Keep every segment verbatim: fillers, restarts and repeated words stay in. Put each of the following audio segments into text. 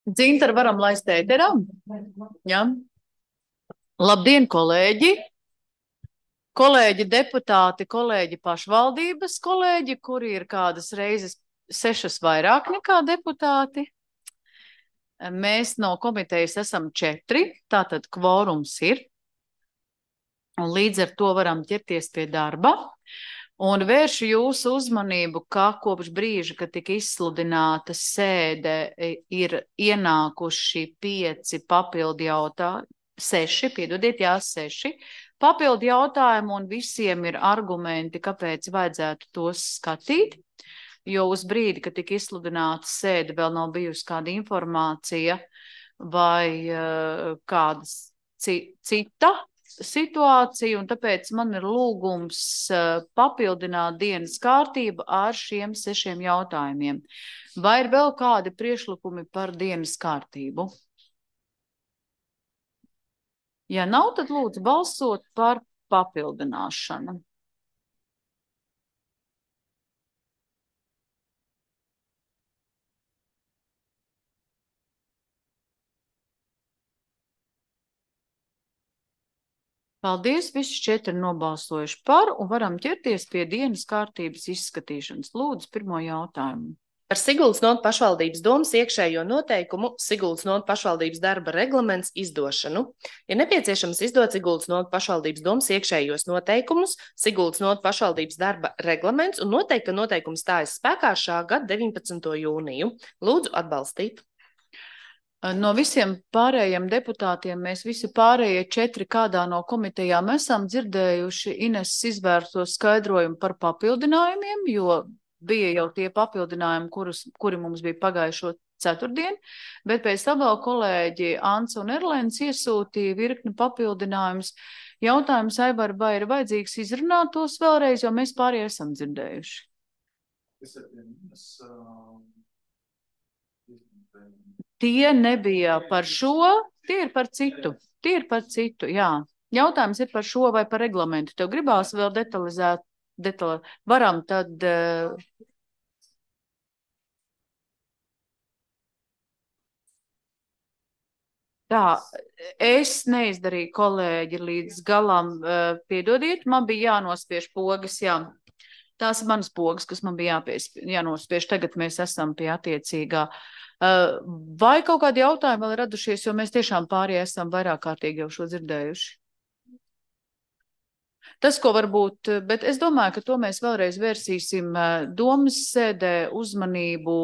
Dzintar, varam laist ēterā? Ja? Labdien, kolēģi! Kolēģi deputāti, kolēģi pašvaldības kolēģi, kuri ir kādas reizes sešas vairāk nekā deputāti. Mēs no komitejas esam četri, tātad kvorums ir. Un līdz ar to varam ķerties pie darba. Un vēršu jūsu uzmanību, ka kopš brīža, kad tika izsludināta sēde, ir ienākuši pieci papildu jautājumi, seši, piedodiet, jā, seši papildu jautājumi, un visiem ir argumenti, kāpēc vajadzētu tos skatīt, jo uz brīdi, kad tika izsludināta sēde, vēl nav bijusi kāda informācija vai uh, kādas cita situācija, un tāpēc man ir lūgums uh, papildināt dienas kārtību ar šiem sešiem jautājumiem. Vai ir vēl kādi priekšlikumi par dienas kārtību? Ja nav, tad lūdzu balsot par papildināšanu. Paldies, visi četri nobalsojuši par, un varam ķerties pie dienas kārtības izskatīšanas. Lūdzu, pirmo jautājumu. Par Siguldas novadas pašvaldības domas iekšējo noteikumu Siguldas novadas pašvaldības darba reglaments izdošanu. Ir nepieciešams izdot Siguldas novadas pašvaldības domas iekšējos noteikumus, Siguldas novadas pašvaldības darba reglaments un noteikt, ka noteikums stājas spēkā šā gada deviņpadsmito jūniju. Lūdzu atbalstīt. No visiem pārējiem deputātiem mēs visi pārējie četri kādā no komitejām esam dzirdējuši Ineses izvērsto skaidrojumu par papildinājumiem, jo bija jau tie papildinājumi, kurus, kuri mums bija pagājušo ceturtdien, bet pēc tam vēl kolēģi Ants un Erlēns iesūtīja virkni papildinājumus. Jautājums, Aivar, vai ir vajadzīgs izrunāt tos vēlreiz, jo mēs pārējie esam dzirdējuši? Tie nebija par šo, tie ir par citu. Tie ir par citu, jā. Jautājums ir par šo vai par reglamentu. Tev gribās vēl detalizēt, detali... varam tad... Uh... Tā, es neizdarīju, kolēģi, līdz galam, uh, piedodiet, man bija jānospiež pogas, jā. Tās ir manas pogas, kas man bija jāpies, jānospiež. Tagad mēs esam pie attiecīgā. Vai kaut kādi jautājumi vēl ir radušies, jo mēs tiešām pārējie esam vairāk kārtīgi jau šo dzirdējuši? Tas, ko varbūt, bet es domāju, ka to mēs vēlreiz vērsīsim domas sēdē uzmanību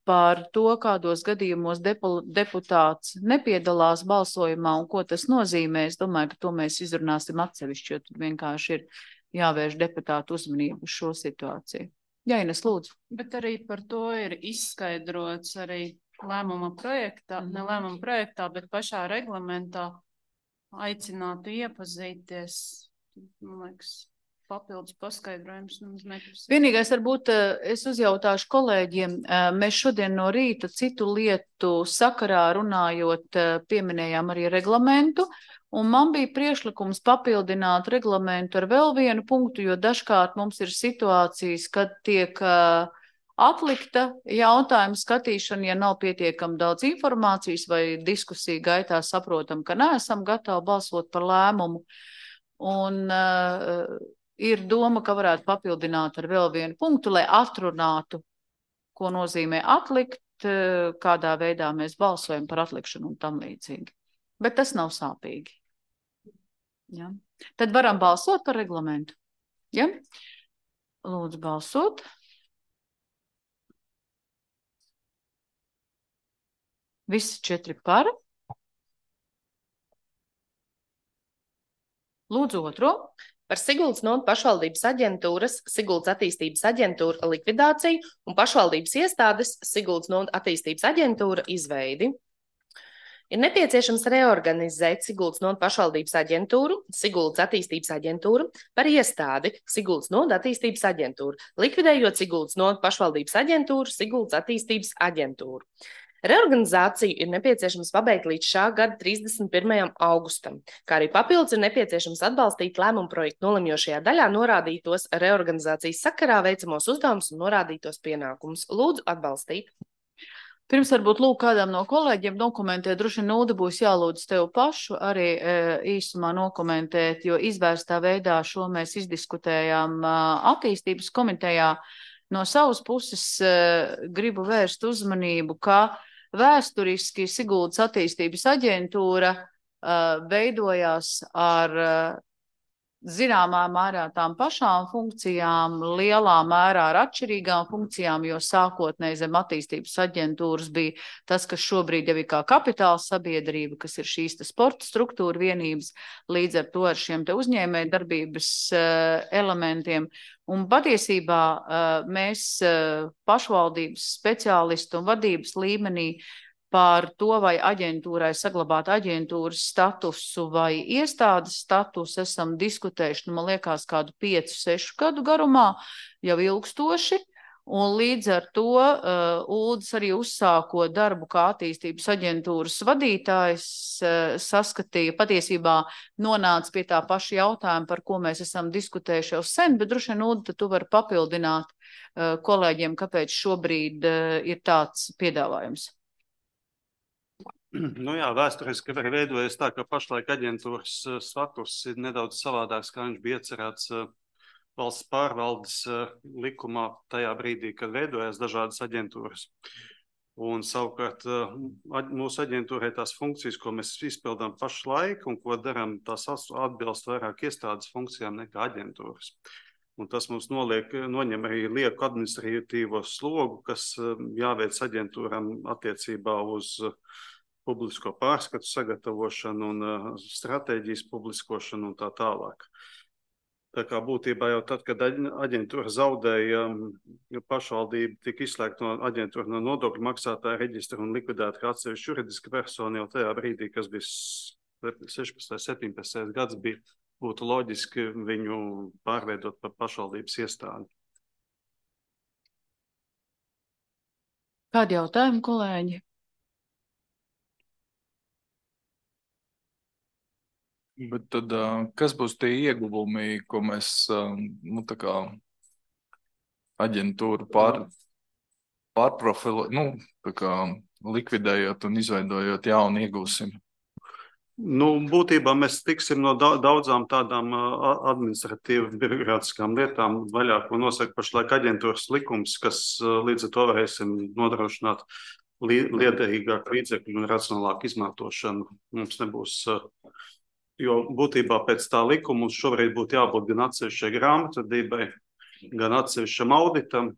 par to, kādos gadījumos deputāts nepiedalās balsojumā un ko tas nozīmē. Es domāju, ka to mēs izrunāsim atsevišķi, jo tad vienkārši ir jāvērš deputātu uzmanību uz šo situāciju. Jā, Ines, lūdzu. Bet arī par to ir izskaidrots arī lēmuma projektā, mm. ne lēmuma projektā, bet pašā reglamentā aicinātu iepazīties, man liekas, papildus paskaidrojums. Vienīgais varbūt es uzjautāšu kolēģiem, mēs šodien no rīta citu lietu sakarā runājot pieminējām arī reglamentu, un man bija priekšlikums papildināt reglamentu ar vēl vienu punktu, jo dažkārt mums ir situācijas, kad tiek uh, atlikta jautājuma skatīšana, ja nav pietiekami daudz informācijas vai diskusija gaitā saprotam, ka neesam gatavi balsot par lēmumu. Un uh, ir doma, ka varētu papildināt ar vēl vienu punktu, lai atrunātu, ko nozīmē atlikt, uh, kādā veidā mēs balsojam par atlikšanu un tam līdzīgi. Bet tas nav sāpīgi. Ja. Tad varam balsot par reglamentu. Ja? Lūdzu balsot. Visi četri par. Lūdzu otro. Par Siguldas novadas pašvaldības aģentūras, Siguldas attīstības aģentūra likvidāciju un pašvaldības iestādes Siguldas novadas attīstības aģentūra izveidi. Ir nepieciešams reorganizēt Siguldas novadas pašvaldības aģentūru, Siguldas attīstības aģentūru par iestādi Siguldas novadas attīstības aģentūru, likvidējot Siguldas novadas pašvaldības aģentūru, Siguldas attīstības aģentūru. Reorganizāciju ir nepieciešams pabeigt līdz šā gada trīsdesmit pirmajam augustam, kā arī papildus ir nepieciešams atbalstīt lēmumu projektu nolemjošajā daļā norādītos reorganizācijas sakarā veicamos uzdevumus un norādītos pienākumus. Lūdzu atbalstīt. Pirms varbūt lūk kādam no kolēģiem dokumentēt, droši vien Nūda būs jālūdz tev pašu arī e, īsumā nokomentēt, jo izvērstā veidā šo mēs izdiskutējām e, attīstības komitejā. No savas puses e, gribu vērst uzmanību, ka vēsturiski Siguldas attīstības aģentūra e, veidojās ar e, zināmā mērā tām pašām funkcijām, lielā mērā ar atšķirīgām funkcijām, jo sākotnēji zem attīstības aģentūras bija tas, kas šobrīd jau ir kā kapitāla sabiedrība, kas ir šīs te sporta struktūra vienības, līdz ar to ar šiem te uzņēmēju darbības uh, elementiem. Un patiesībā uh, mēs uh, pašvaldības speciālistu un vadības līmenī par to, vai aģentūrai saglabāt aģentūras statusu vai iestādes statusu, esam diskutējuši, nu, man liekas, kādu piecu, sešu gadu garumā, jau ilgstoši, un līdz ar to uh, Uldis arī uzsākot darbu kā attīstības aģentūras vadītājs, uh, saskatīja, patiesībā nonāca pie tā paša jautājuma, par ko mēs esam diskutējuši jau sen, bet droši vien, Uldi, tu vari papildināt uh, kolēģiem, kāpēc šobrīd uh, ir tāds piedāvājums. Nu jā, vēsturiski arī veidojas tā, ka pašlaik aģentūras status ir nedaudz savādāks, kā viņš bija iecerēts valsts pārvaldes likumā tajā brīdī, kad veidojas dažādas aģentūras. Un savukārt mūsu aģentūrai tās funkcijas, ko mēs izpildām pašlaik un ko darām, tās atbilst vairāk iestādes funkcijām nekā aģentūras. Un tas mums noliek, noņem arī lieku administratīvo slogu, kas jāveic aģentūram attiecībā uz publisko pārskatu sagatavošanu un uh, stratēģijas publiskošanu un tā tālāk. Tā kā būtībā jau tad, kad aģentūra zaudēja, pašvaldība tika izslēgta no aģentūra no nodokļu maksātāja reģistra un likvidēta kā atsevišķa juridiska persona jau tajā brīdī, kas bija sešpadsmitais, septiņpadsmitais gads, bija, būtu loģiski viņu pārveidot par pašvaldības iestādi. Kādi jautājumi, kolēģi? Bet tad, kas būs tie ieguvumi, ko mēs, nu, tā kā aģentūru pār, pārprofilu, nu, tā kā likvidējot un izveidojot jaunu iegūsim? Nu, būtībā mēs tiksim no daudzām tādām administratīvi birokrātiskām lietām vaļā, ko nosaka pašlaik aģentūras likums, kas līdz ar to varēsim nodrošināt liederīgāku līdzekļu un racionālāku izmantošanu. Mums nebūs... Jo būtībā pēc tā likuma mums šobrīd būtu jābūt gan atsevišķai grāmatvedībai, gan atsevišķam auditam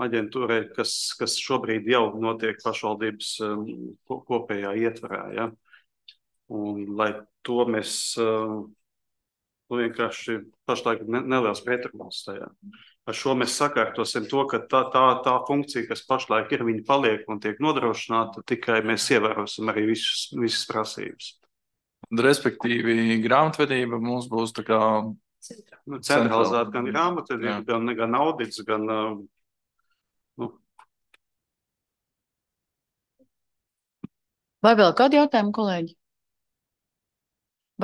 aģentūrai, kas, kas šobrīd jau notiek pašvaldības kopējā ietvarā. Ja? Un, lai to mēs nu, vienkārši pašlaik neliels pretruns tajā. Ar šo mēs sakārtosim to, ka tā, tā, tā funkcija, kas pašlaik ir, viņa paliek un tiek nodrošināta, tikai mēs ievērosim arī visus, visas prasības. Respektīvi, grāmatvedība mums būs tā kā nu, centralizēta gan grāmatvedība, gan, gan audits, gan... Nu. Vai vēl kādi jautājumi, kolēģi?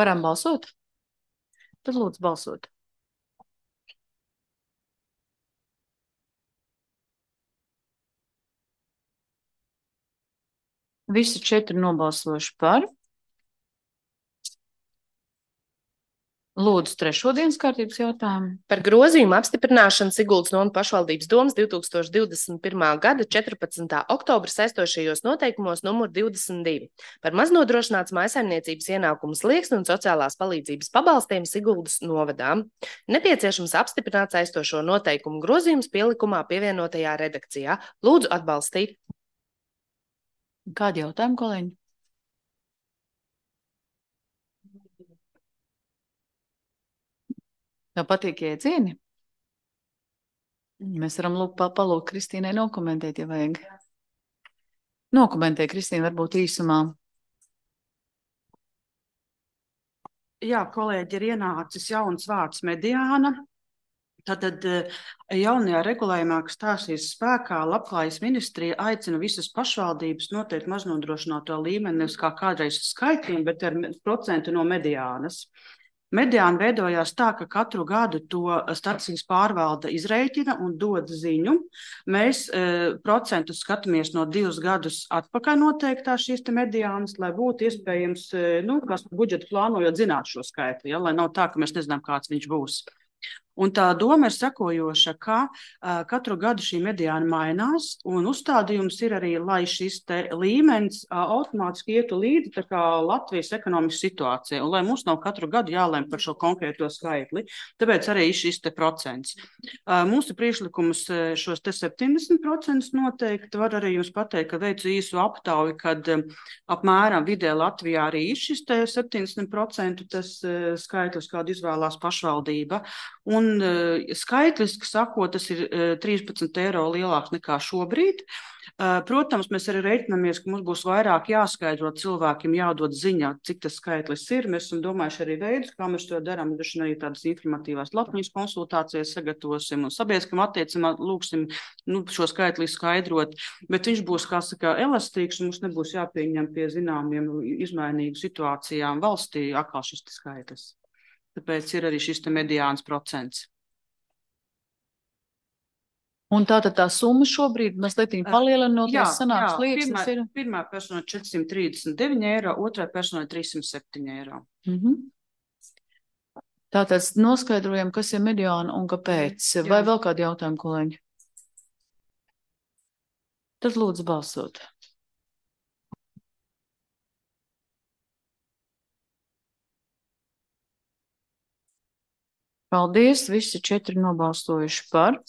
Varam balsot? Tad lūdzu balsot. Visi četri nobalsojuši par. Lūdzu, trešo dienas kārtības jautājumu. Par grozījumu apstiprināšanu Siguldas novadas pašvaldības domes divs tūkstoši divdesmit pirmā gada četrpadsmitā oktobra saistošajos noteikumos numur divdesmit divi par maznodrošināts mājsaimniecības ienākumu slieksni un sociālās palīdzības pabalstiem Siguldas novadām. Nepieciešams apstiprināt saistošo noteikumu grozījums pielikumā pievienotajā redakcijā. Lūdzu atbalstīt. Kādi jautājumi, kolēģi? Tev patīk iedzieni? Mēs varam lūk, palūkt Kristīnai nokomentēt, ja vajag. Nokomentē, Kristīna, varbūt īsumā. Jā, kolēģi, ir ienācis jauns vārds mediāna. Tātad jaunajā regulējumā, kas stāsies spēkā, Labklājības ministrija aicina visas pašvaldības noteikt maznodrošināto līmeni, nevis kā kādreiz skaitļiem, bet ar procentu no mediānas. Mediāni veidojās tā, ka katru gadu to stacijas pārvalde izrēķina un dod ziņu. Mēs e, procentus skatāmies no divus gadus atpakaļ noteiktā šīs te mediānas, lai būtu iespējams, e, nu, kas budžetu plānojot zināt šo skaitli, ja, lai nav tā, ka mēs nezinām, kāds viņš būs. Un tā doma ir sekojoša, ka uh, katru gadu šī mediāna mainās, un uzstādījums ir arī, lai šis te līmenis uh, automātiski ietu līdzi tā kā Latvijas ekonomikas situācija, un lai mums nav katru gadu jālem par šo konkrēto skaitli. Tāpēc arī šis te procents. Uh, mūsu priekšlikums šos te septiņdesmit procentus noteikti var arī jums pateikt, ka veicu īsu aptauju, kad um, apmēram vidē Latvijā arī ir šis te septiņdesmit procentu tas uh, skaitlis, kādu izvēlās pašvaldība. Un uh, skaitliski sakot, tas ir uh, trīspadsmit eiro lielāks nekā šobrīd. Uh, protams, mēs arī reiķinamies, ka mums būs vairāk jāskaidro cilvēkiem, jādod ziņā, cik tas skaitlis ir. Mēs esam domājuši arī veidus, kā mēs to darām. Mēs arī tādas informatīvās lapņas konsultācijas sagatavosim un sabiedriskam attiecībā lūksim nu, šo skaitli skaidrot. Bet viņš būs, kā saka, elastīgs un mums nebūs jāpieņem pie zināmiem izmainīgu situācijām valstī atkal šis skaitlis. Tāpēc ir arī šis te mediāns procents. Un tātad tā summa šobrīd mazliet palielinoties sanāks liekas ir? Pirmā persona četrsimt trīsdesmit deviņi eiro, otrā persona trīssimt septiņi eiro. Mhm. Tātad noskaidrojam, kas ir mediāna un kāpēc. Jā. Vai vēl kādi jautājumi, kolēģi? Tad lūdzu balsot. Paldies, visi četri nobalstojuši par.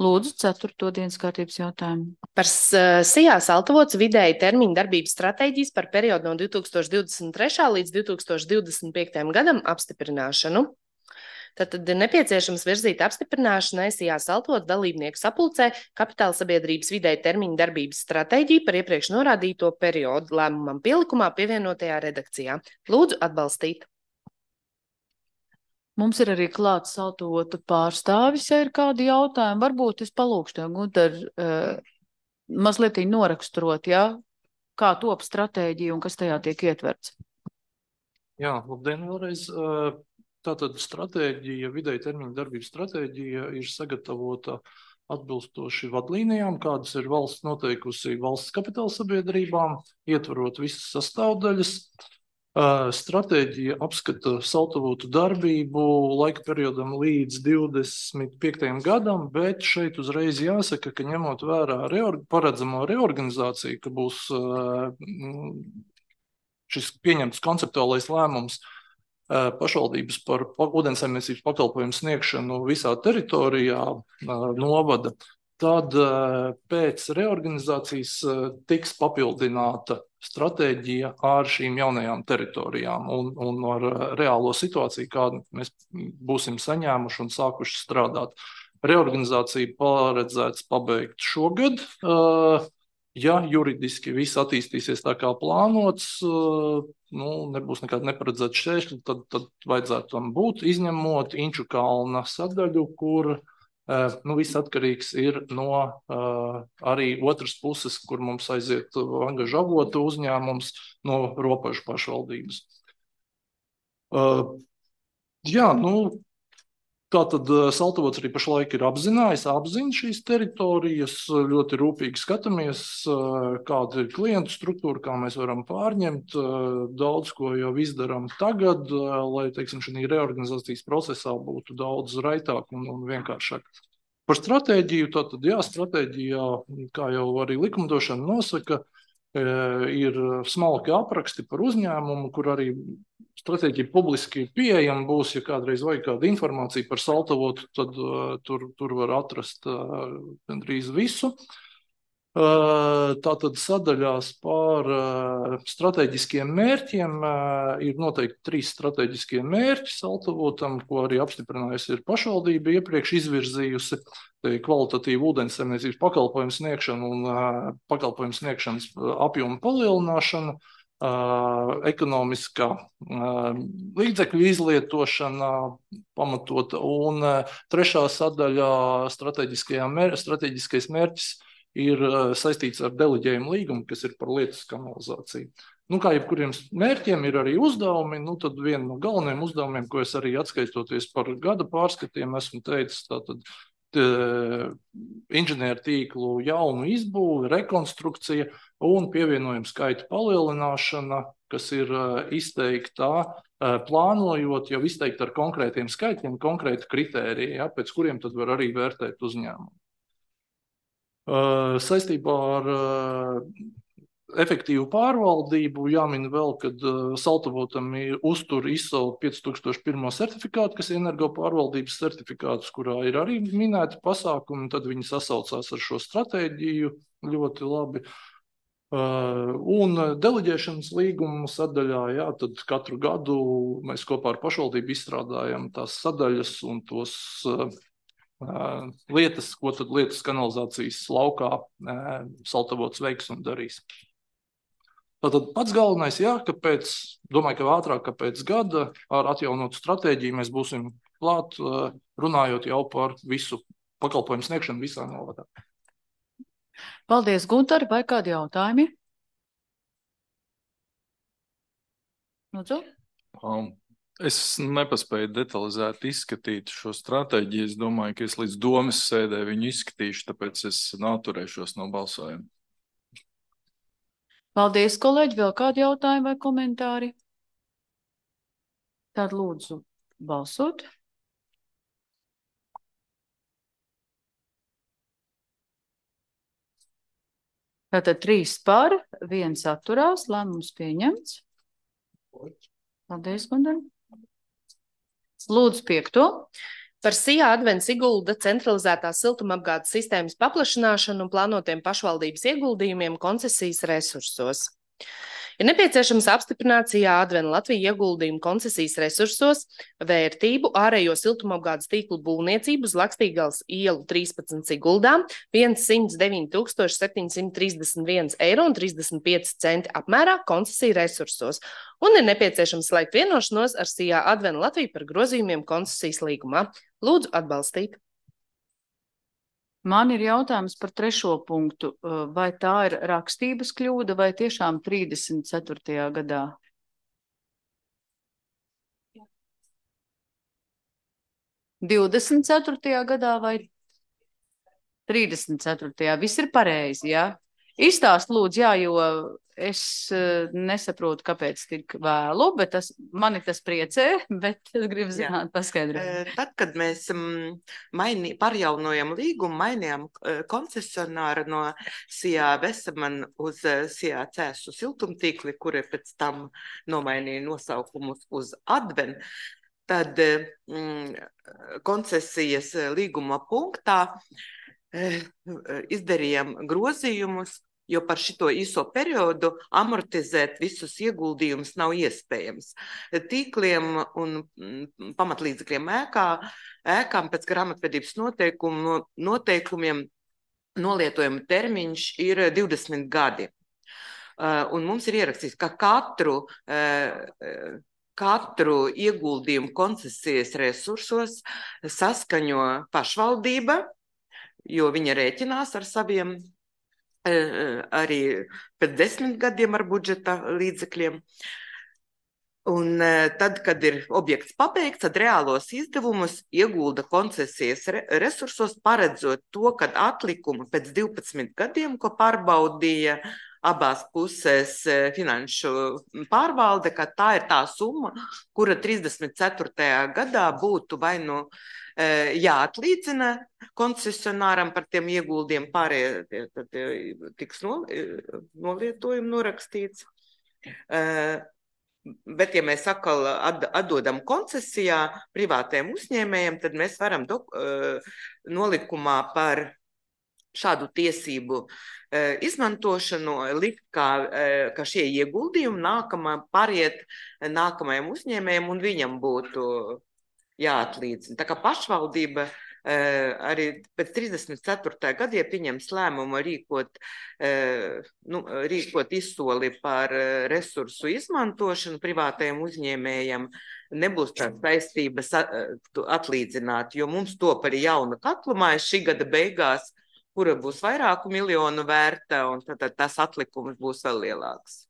Lūdzu, ceturto dienas kārtības jautājumu. Par Sijā Saltavots vidēji termiņu darbības stratēģijas par periodu no divi tūkstoši divdesmit trešā līdz divi tūkstoši divdesmit piektajam gadam apstiprināšanu. Tātad ir nepieciešams virzīt apstiprināšanai Sijā Saltavots dalībnieku sapulcē kapitāla sabiedrības vidēji termiņu darbības stratēģiju par iepriekš norādīto periodu lēmumam pielikumā pievienotajā redakcijā. Lūdzu atbalstīt. Mums ir arī klāts Saltavotu pārstāvis, ja ir kādi jautājumi. Varbūt es palūkšu tev, Gunter, uh, mazliet noraksturot, ja? Kā top stratēģija un kas tajā tiek ietverts. Jā, labdien vēlreiz. Tātad stratēģija, vidēji termiņa darbības stratēģija ir sagatavota atbilstoši vadlīnijām, kādas ir valsts noteikusi valsts kapitāla sabiedrībām, ietverot visas sastāvdaļas. Stratēģija apskata Saltavotu darbību laika periodam līdz divdesmit piektajam gadam, bet šeit uzreiz jāsaka, ka ņemot vērā reorg paredzamo reorganizāciju, ka būs šis pieņemts konceptuālais lēmums pašvaldības par ūdensaimniecības pakalpojumu sniegšanu visā teritorijā novada, tad pēc reorganizācijas tiks papildināta stratēģija ar šīm jaunajām teritorijām un, un ar reālo situāciju, kādu mēs būsim saņēmuši un sākuši strādāt. Reorganizācija paredzēts pabeigt šogad. Ja juridiski viss attīstīsies tā kā plānots, nu, nebūs nekāda neparedzēta šķēršļa, tad, tad vajadzētu tam būt, izņemot Inču kalna sadaļu, kur nu, viss atkarīgs ir no uh, arī otras puses, kur mums aiziet angažu avotu uzņēmums no robežu pašvaldības. Uh, jā, nu, tātad Saltavots arī pašlaik ir apzinājis, apzina šīs teritorijas, ļoti rūpīgi skatāmies, uh, kāda ir klientu struktūra, kā mēs varam pārņemt, uh, daudz ko jau izdarām tagad, uh, lai, teiksim, šī reorganizācijas procesā būtu daudz raitāk un, un vienkāršāk. Par stratēģiju, tātad, jā, stratēģijā, kā jau arī likumdošana nosaka, ir smalki apraksti par uzņēmumu, kur arī stratēģija publiski pieejama būs, ja kādreiz vajag kāda informācija par Saltavotu, tad uh, tur, tur var atrast uh, gandrīz visu. Uh, tātad sadaļās par uh, strateģiskiem mērķiem uh, ir noteikti trīs strateģiskie mērķi Saltavotam, ko arī apstiprinājusi ir pašvaldība iepriekš izvirzījusi. Kvalitatīvu ūdensaimniecības pakalpojumu sniegšanu un uh, pakalpojumu sniegšanas apjomu palielināšanu, uh, ekonomiskā uh, līdzekļu izlietošana pamatota un uh, trešā sadaļa mēr, strateģiskais mērķis ir uh, saistīts ar deleģējumu līgumu, kas ir par lietas kanalizāciju. Nu, kā jebkuriem mērķiem ir arī uzdevumi, nu, tad viena no galvenajiem uzdevumiem, ko es arī atskaistoties par gada pārskatiem esmu teicis, tātad inženieru tīklu jaunu izbūvi, rekonstrukcija un pievienojumu skaita palielināšana, kas ir izteiktā, plānojot jau izteikt ar konkrētiem skaitļiem, konkrēti kritēriji, ja, pēc kuriem tad var arī vērtēt uzņēmumu. Saistībā ar efektīvu pārvaldību jāmin vēl, kad Saltavotam ir uztur I S O pieci tūkstoši viens certifikātu, kas ir energo pārvaldības certifikāts, kurā ir arī minēti pasākumi, tad viņi sasaucās ar šo stratēģiju ļoti labi. Un deleģēšanas līgumu sadaļā, jā, tad katru gadu mēs kopā ar pašvaldību izstrādājam tās sadaļas un tos lietas, ko tad lietas kanalizācijas laukā Saltavots veiks un darīs. Tātad pats galvenais, jā, ka pēc, domāju, ka ātrāk, ka pēc gada ar atjaunotu stratēģiju mēs būsim klāt, runājot jau par visu pakalpojumu sniegšanu visā novadā. Paldies, Gunter, vai kādi jautājumi? Lūdzu? Um, es nepaspēju detalizēt izskatīt šo stratēģiju. Es domāju, ka es līdz domas sēdē viņu izskatīšu, tāpēc es atturēšos no balsojuma. Paldies, kolēģi. Vēl kādi jautājumi vai komentāri? Tad lūdzu balsot. Tātad trīs par, viens atturās, lēmums pieņemts. Paldies, Gunter. Lūdzu piekto. Par Sijā Advents Sigulda centralizētās siltumapgādes sistēmas paplašināšanu un plānotiem pašvaldības ieguldījumiem koncesijas resursos. Ir nepieciešams apstiprināt Sijā Advents Latvija ieguldījumu koncesijas resursos vērtību ārējo siltumapgādes tīklu būvniecību uz Lakstīgales ielu trīspadsmit Siguldā viens deviņi tūkstoši septiņsimt trīsdesmit viens eiro un trīsdesmit pieci centi apmērā koncesiju resursos un ir nepieciešams slēgt vienošanos ar Sijā Advents Latviju par grozījumiem koncesijas līgumā. Lūdzu atbalstīt. Man ir jautājums par trešo punktu. Vai tā ir rakstības kļūda vai tiešām trīsdesmit ceturtajā gadā? divdesmit ceturtajā gadā vai trīsdesmit ceturtajā? Viss ir pareizi, jā? Izstāst lūdzu, jā, jo es nesaprotu, kāpēc tik vēlu, bet tas, mani tas priecē, bet es gribu zināt, paskaidrot. Tad, kad mēs maini, parjaunojam līgumu, mainījām koncesionāru no Sijā Veseman uz Sijā Cēsu siltumtīkli, kuri pēc tam nomainīja nosaukumus uz Adven, tad mm, koncesijas līguma punktā izdarījām grozījumus, jo par šito īso periodu amortizēt visus ieguldījumus nav iespējams. Tīkliem un pamatlīdzekļiem ēkā, ēkām pēc grāmatvedības noteikumu, noteikumiem nolietojuma termiņš ir divdesmit gadi. Un mums ir ierakstīts, ka katru, katru ieguldījumu koncesijas resursos saskaņo pašvaldība, jo viņa rēķinās ar saviem arī pēc desmit gadiem ar budžeta līdzekļiem. Un tad, kad ir objekts pabeigts, tad reālos izdevumus iegulda koncesijas resursos, paredzot to, kad atlikumu pēc divpadsmit gadiem, ko pārbaudīja abās pusēs finanšu pārvalde, ka tā ir tā summa, kura trīsdesmit ceturtajā gadā būtu vai nu jāatlīdzina koncesionāram par tiem ieguldiem, pārējie tad tiks nolietojumi norakstīts. Bet, ja mēs atkal atdodam koncesijā privātiem uzņēmējiem, tad mēs varam do, nolikumā par šādu tiesību izmantošanu likt, kā, ka šie ieguldījumi nākamā pariet nākamajam uzņēmējam un viņam būtu jāatlīdzina. Tā kā pašvaldība arī pēc trīsdesmit ceturtajā gadā pieņems lēmumu rīkot, nu, rīkot izsoli par resursu izmantošanu privātajiem uzņēmējiem, nebūs tādas saistības atlīdzināt, jo mums top arī jauna katlumāja šī gada beigās, kura būs vairāku miljonu vērta, un tad tas atlikums būs vēl lielāks.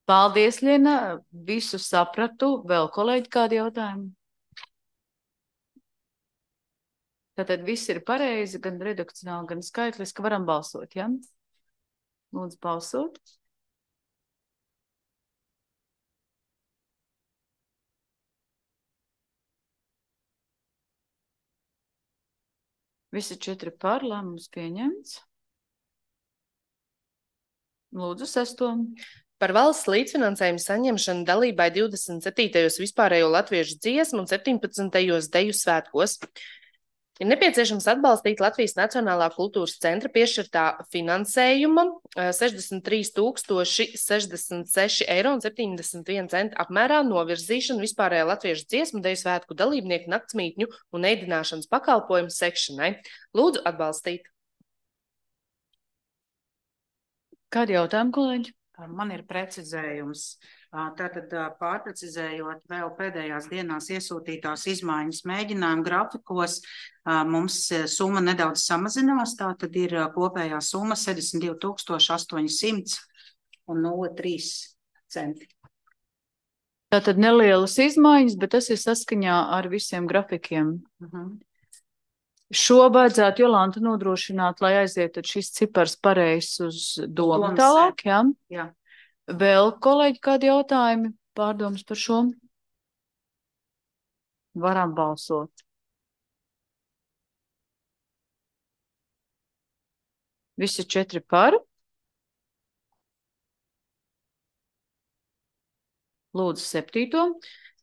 Paldies, Liena. Visu sapratu. Vēl kolēģi kādi jautājumi? Tātad viss ir pareizi, gan redakcionāli, gan skaitliski. Varam balsot, ja? Lūdzu, balsot. Visi četri par, lēmums pieņemts. Lūdzu, sesto. Par valsts līdzfinansējumu saņemšanu dalībai divdesmit septītajos vispārējo latviešu dziesmu un septiņpadsmitajos deju svētkos. Ir nepieciešams atbalstīt Latvijas Nacionālā kultūras centra piešķirtā finansējuma sešdesmit trīs tūkstoši sešdesmit seši eiro un septiņdesmit viena centa apmērā novirzīšanu vispārējā latviešu dziesmu deju svētku dalībnieku naktsmītņu un ēdināšanas pakalpojumu sekšanai. Lūdzu atbalstīt. Kādi jautājumi, kolēģi? Man ir precizējums. Tātad pārprecizējot vēl pēdējās dienās iesūtītās izmaiņas mēģinājumu grafikos, mums summa nedaudz samazinās, tātad ir kopējā summa sešdesmit divi tūkstoši astoņi simti un nulle trīs centi. Tātad nelielas izmaiņas, bet tas ir saskaņā ar visiem grafikiem. Uh-huh. Šo vajadzētu Jolanta nodrošināt, lai aiziet šis cipars pareizs uz domu tālāk, jā? Jā. Vēl, kolēģi, kādi jautājumi, pārdomas par šo? Varam balsot. Visi četri par. Lūdzu, septīto.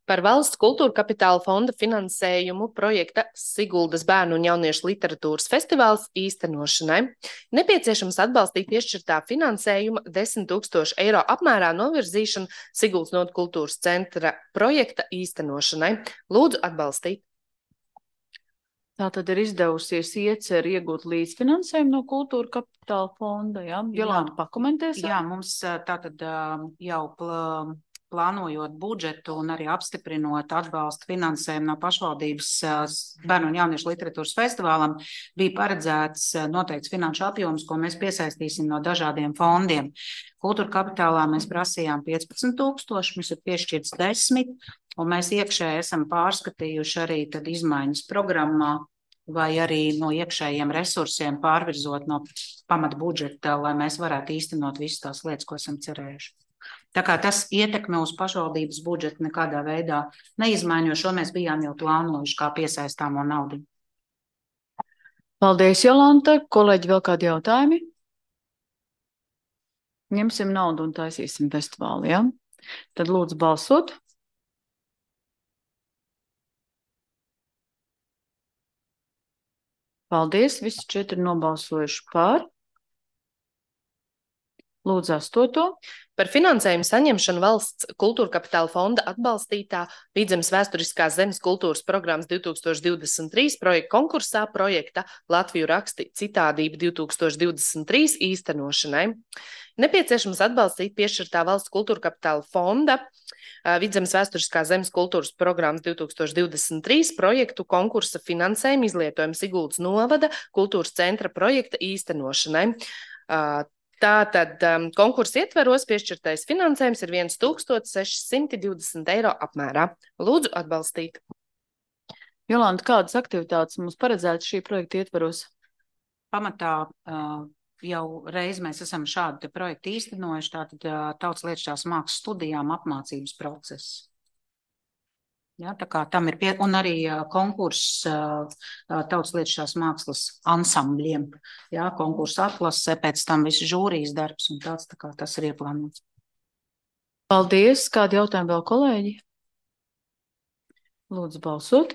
Par valsts kultūra kapitāla fonda finansējumu projekta Siguldas bērnu un jauniešu literatūras festivāls īstenošanai. Nepieciešams atbalstīt piešķirtā finansējuma desmit tūkstoši eiro apmērā novirzīšanu Siguldas nodu kultūras centra projekta īstenošanai. Lūdzu atbalstīt. Tā tad ir izdevusies ieceri iegūt līdzfinansējumu no kultūra kapitāla fonda, jā? Jolanta, pakomentēs? Jā, mums tātad jau plā... plānojot budžetu un arī apstiprinot atbalstu finansējumu no pašvaldības bērnu un jauniešu literatūras festivālam, bija paredzēts noteikts finanšu apjoms, ko mēs piesaistīsim no dažādiem fondiem. Kultūra kapitālā mēs prasījām piecpadsmit tūkstoši, mums ir piešķirts desmit, un mēs iekšēji esam pārskatījuši arī tad izmaiņas programmā vai arī no iekšējiem resursiem pārvirzot no pamata budžeta, lai mēs varētu īstenot visas tās lietas, ko esam cerējuši. Tā kā tas ietekme uz pašvaldības budžetu nekādā veidā neizmaiņo, šo mēs bijām jau plānojuši kā piesaistāmo naudu. Paldies, Jolanta. Kolēģi, vēl kādi jautājumi? Ņemsim naudu un taisīsim festivālu, jā? Tad lūdzu balsot. Paldies, visi četri nobalsojuši par. Lūdzu, astoto. Par finansējumu saņemšanu valsts kultūra kapitāla fonda atbalstītā Vidzemes vēsturiskās zemes kultūras programmas divi tūkstoši divdesmit trīs projekta konkursā projekta Latviju raksti citādība divi tūkstoši divdesmit trīs īstenošanai. Nepieciešams atbalstīt piešķirtā valsts kultūra kapitāla fonda Vidzemes vēsturiskās zemes kultūras programmas divi tūkstoši divdesmit trīs projektu konkursa finansējumu izlietojumu Siguldas novada kultūras centra projekta īstenošanai. Tātad um, konkursa ietveros piešķirtais finansējums ir viens tūkstotis seši simti divdesmit eiro apmērā. Lūdzu atbalstīt. Jolanta, kādas aktivitātes mums paredzētas šī projekta ietveros? Pamatā uh, jau reiz mēs esam šādu projektu īstenojuši, tātad uh, tautas lietušķās mākslas studijām apmācības process. Ja, tā kā tam ir pie, un arī uh, konkurss uh, tautas lietušķās mākslas ansambļiem, ja, konkursa atlasē, pēc tam visu žūrijas darbs un tāds, tā kā tas ir ieplānots. Paldies, kādi jautājumi vēl, kolēģi? Lūdzu balsot.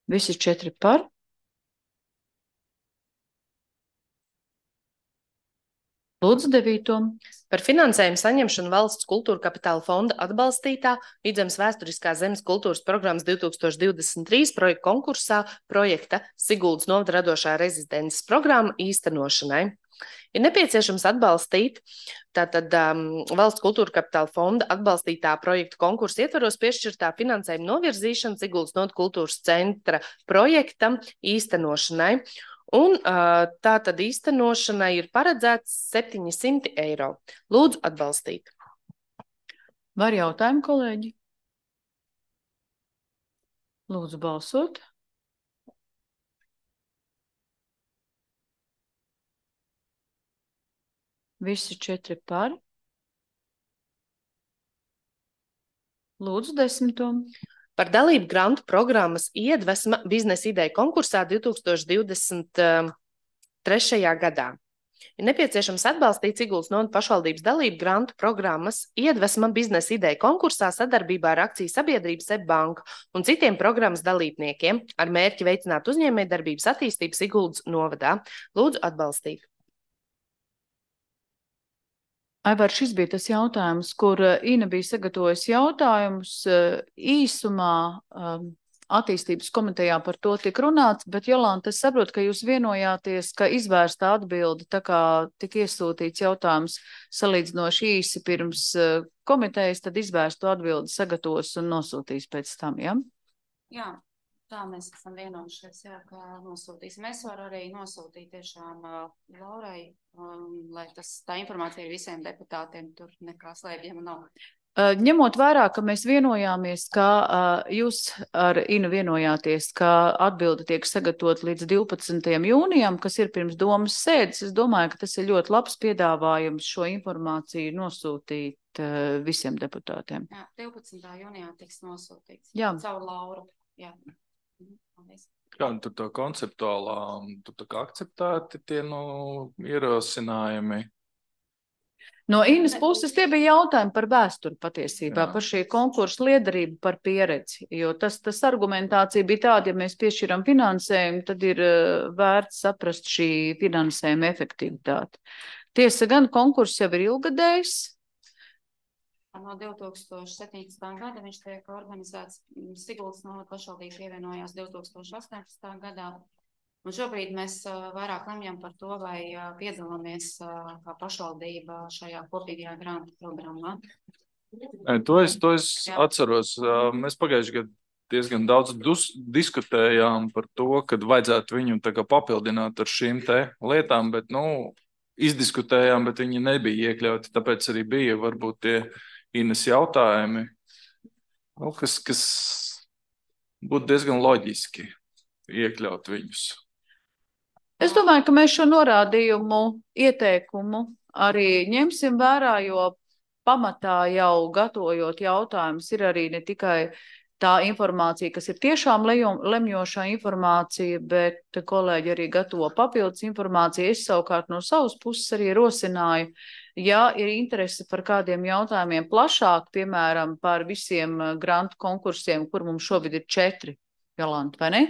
Visi četri par. Lūdzu, devīto. Par finansējumu saņemšanu valsts kultūra kapitāla fonda atbalstītā Vidzemes vēsturiskās zemes kultūras programmas divi tūkstoši divdesmit trīs projekta konkursā projekta Siguldas novada radošā rezidences programma īstenošanai. Ir nepieciešams atbalstīt tātad um, valsts kultūra kapitāla fonda atbalstītā projekta konkursa ietveros piešķirtā finansējuma novirzīšana Siguldas novada kultūras centra projektam īstenošanai. Un uh, tā tad īstenošanai ir paredzēts septiņsimt eiro. Lūdzu atbalstīt. Var jautājumu, kolēģi? Lūdzu balsot. Visi četri par. Lūdzu desmito. Par dalību grantu programmas Iedvesma biznesa ideja konkursā divi tūkstoši divdesmit trešajā gadā. Ir nepieciešams atbalstīt Siguldas novadas pašvaldības dalību grantu programmas Iedvesma biznesa ideja konkursā sadarbībā ar akciju sabiedrību SEB banku un citiem programmas dalībniekiem ar mērķi veicināt uzņēmējdarbības attīstību Siguldas novadā. Lūdzu atbalstīt. Aivar, šis bija tas jautājums, kur Ina bija sagatavojusi jautājumus. Īsumā attīstības komitejā par to tika runāts, bet Jolanta, es saprotu, ka jūs vienojāties, ka izvērsta atbildi, tā kā tika iesūtīts jautājums salīdzinoši īsi pirms komitejas, tad izvērstu atbildi sagatavos un nosūtīs pēc tam, ja? Jā, tā mēs esam vienojušies, jā, ka nosūtīsim. Es varu arī nosūtīt tiešām uh, Laurai, um, lai tas, tā informācija ir visiem deputātiem, tur nekā slēpjama nav. Uh, ņemot vērā, ka mēs vienojāmies, ka uh, jūs ar Inu vienojāties, ka atbilde tiek sagatavot līdz divpadsmitajam jūnijam, kas ir pirms domas sēdes, es domāju, ka tas ir ļoti labs piedāvājums šo informāciju nosūtīt uh, visiem deputātiem. Jā, divpadsmitā jūnijā tiks nosūtīts. Jā. Caur Lauru. Jā. Kā tur tā konceptuālā, tur tā kā akceptēti tie nu, ierosinājumi? No Inas puses tie bija jautājumi par vēsturi patiesībā, Jā. Par šī konkursa liederību, par pieredzi, jo tas, tas argumentācija bija tāda, ja mēs piešķiram finansējumu, tad ir uh, vērts saprast šī finansējuma efektivitāte. Tiesa gan konkurss jau ir ilgadējs. No divi tūkstoši septiņpadsmitā gada viņš tiek organizēts, Siguldas novada pašvaldība pievienojās divi tūkstoši astoņpadsmitā gadā. Un šobrīd mēs uh, vairāk lemjam par to, vai uh, piedalāmies uh, kā pašvaldība šajā kopīgajā grantu programmā. E, to es, to es atceros. Mēs pagājuši gadu diezgan daudz dus, diskutējām par to, kad vajadzētu viņu tā kā papildināt ar šīm te lietām, bet, nu, izdiskutējām, bet viņi nebija iekļauti, tāpēc arī bija varbūt tie Inas jautājumi, nu, kas, kas būtu diezgan loģiski iekļaut viņus. Es domāju, ka mēs šo norādījumu, ieteikumu arī ņemsim vērā, jo pamatā jau gatavojot jautājumus ir arī ne tikai tā informācija, kas ir tiešām lemjošā informācija, bet kolēģi arī gatavo papildus informāciju. Es savukārt no savas puses arī rosināju, ja ir interese par kādiem jautājumiem plašāk, piemēram, par visiem grantu konkursiem, kur mums šobrīd ir četri, Jolanta, vai ne?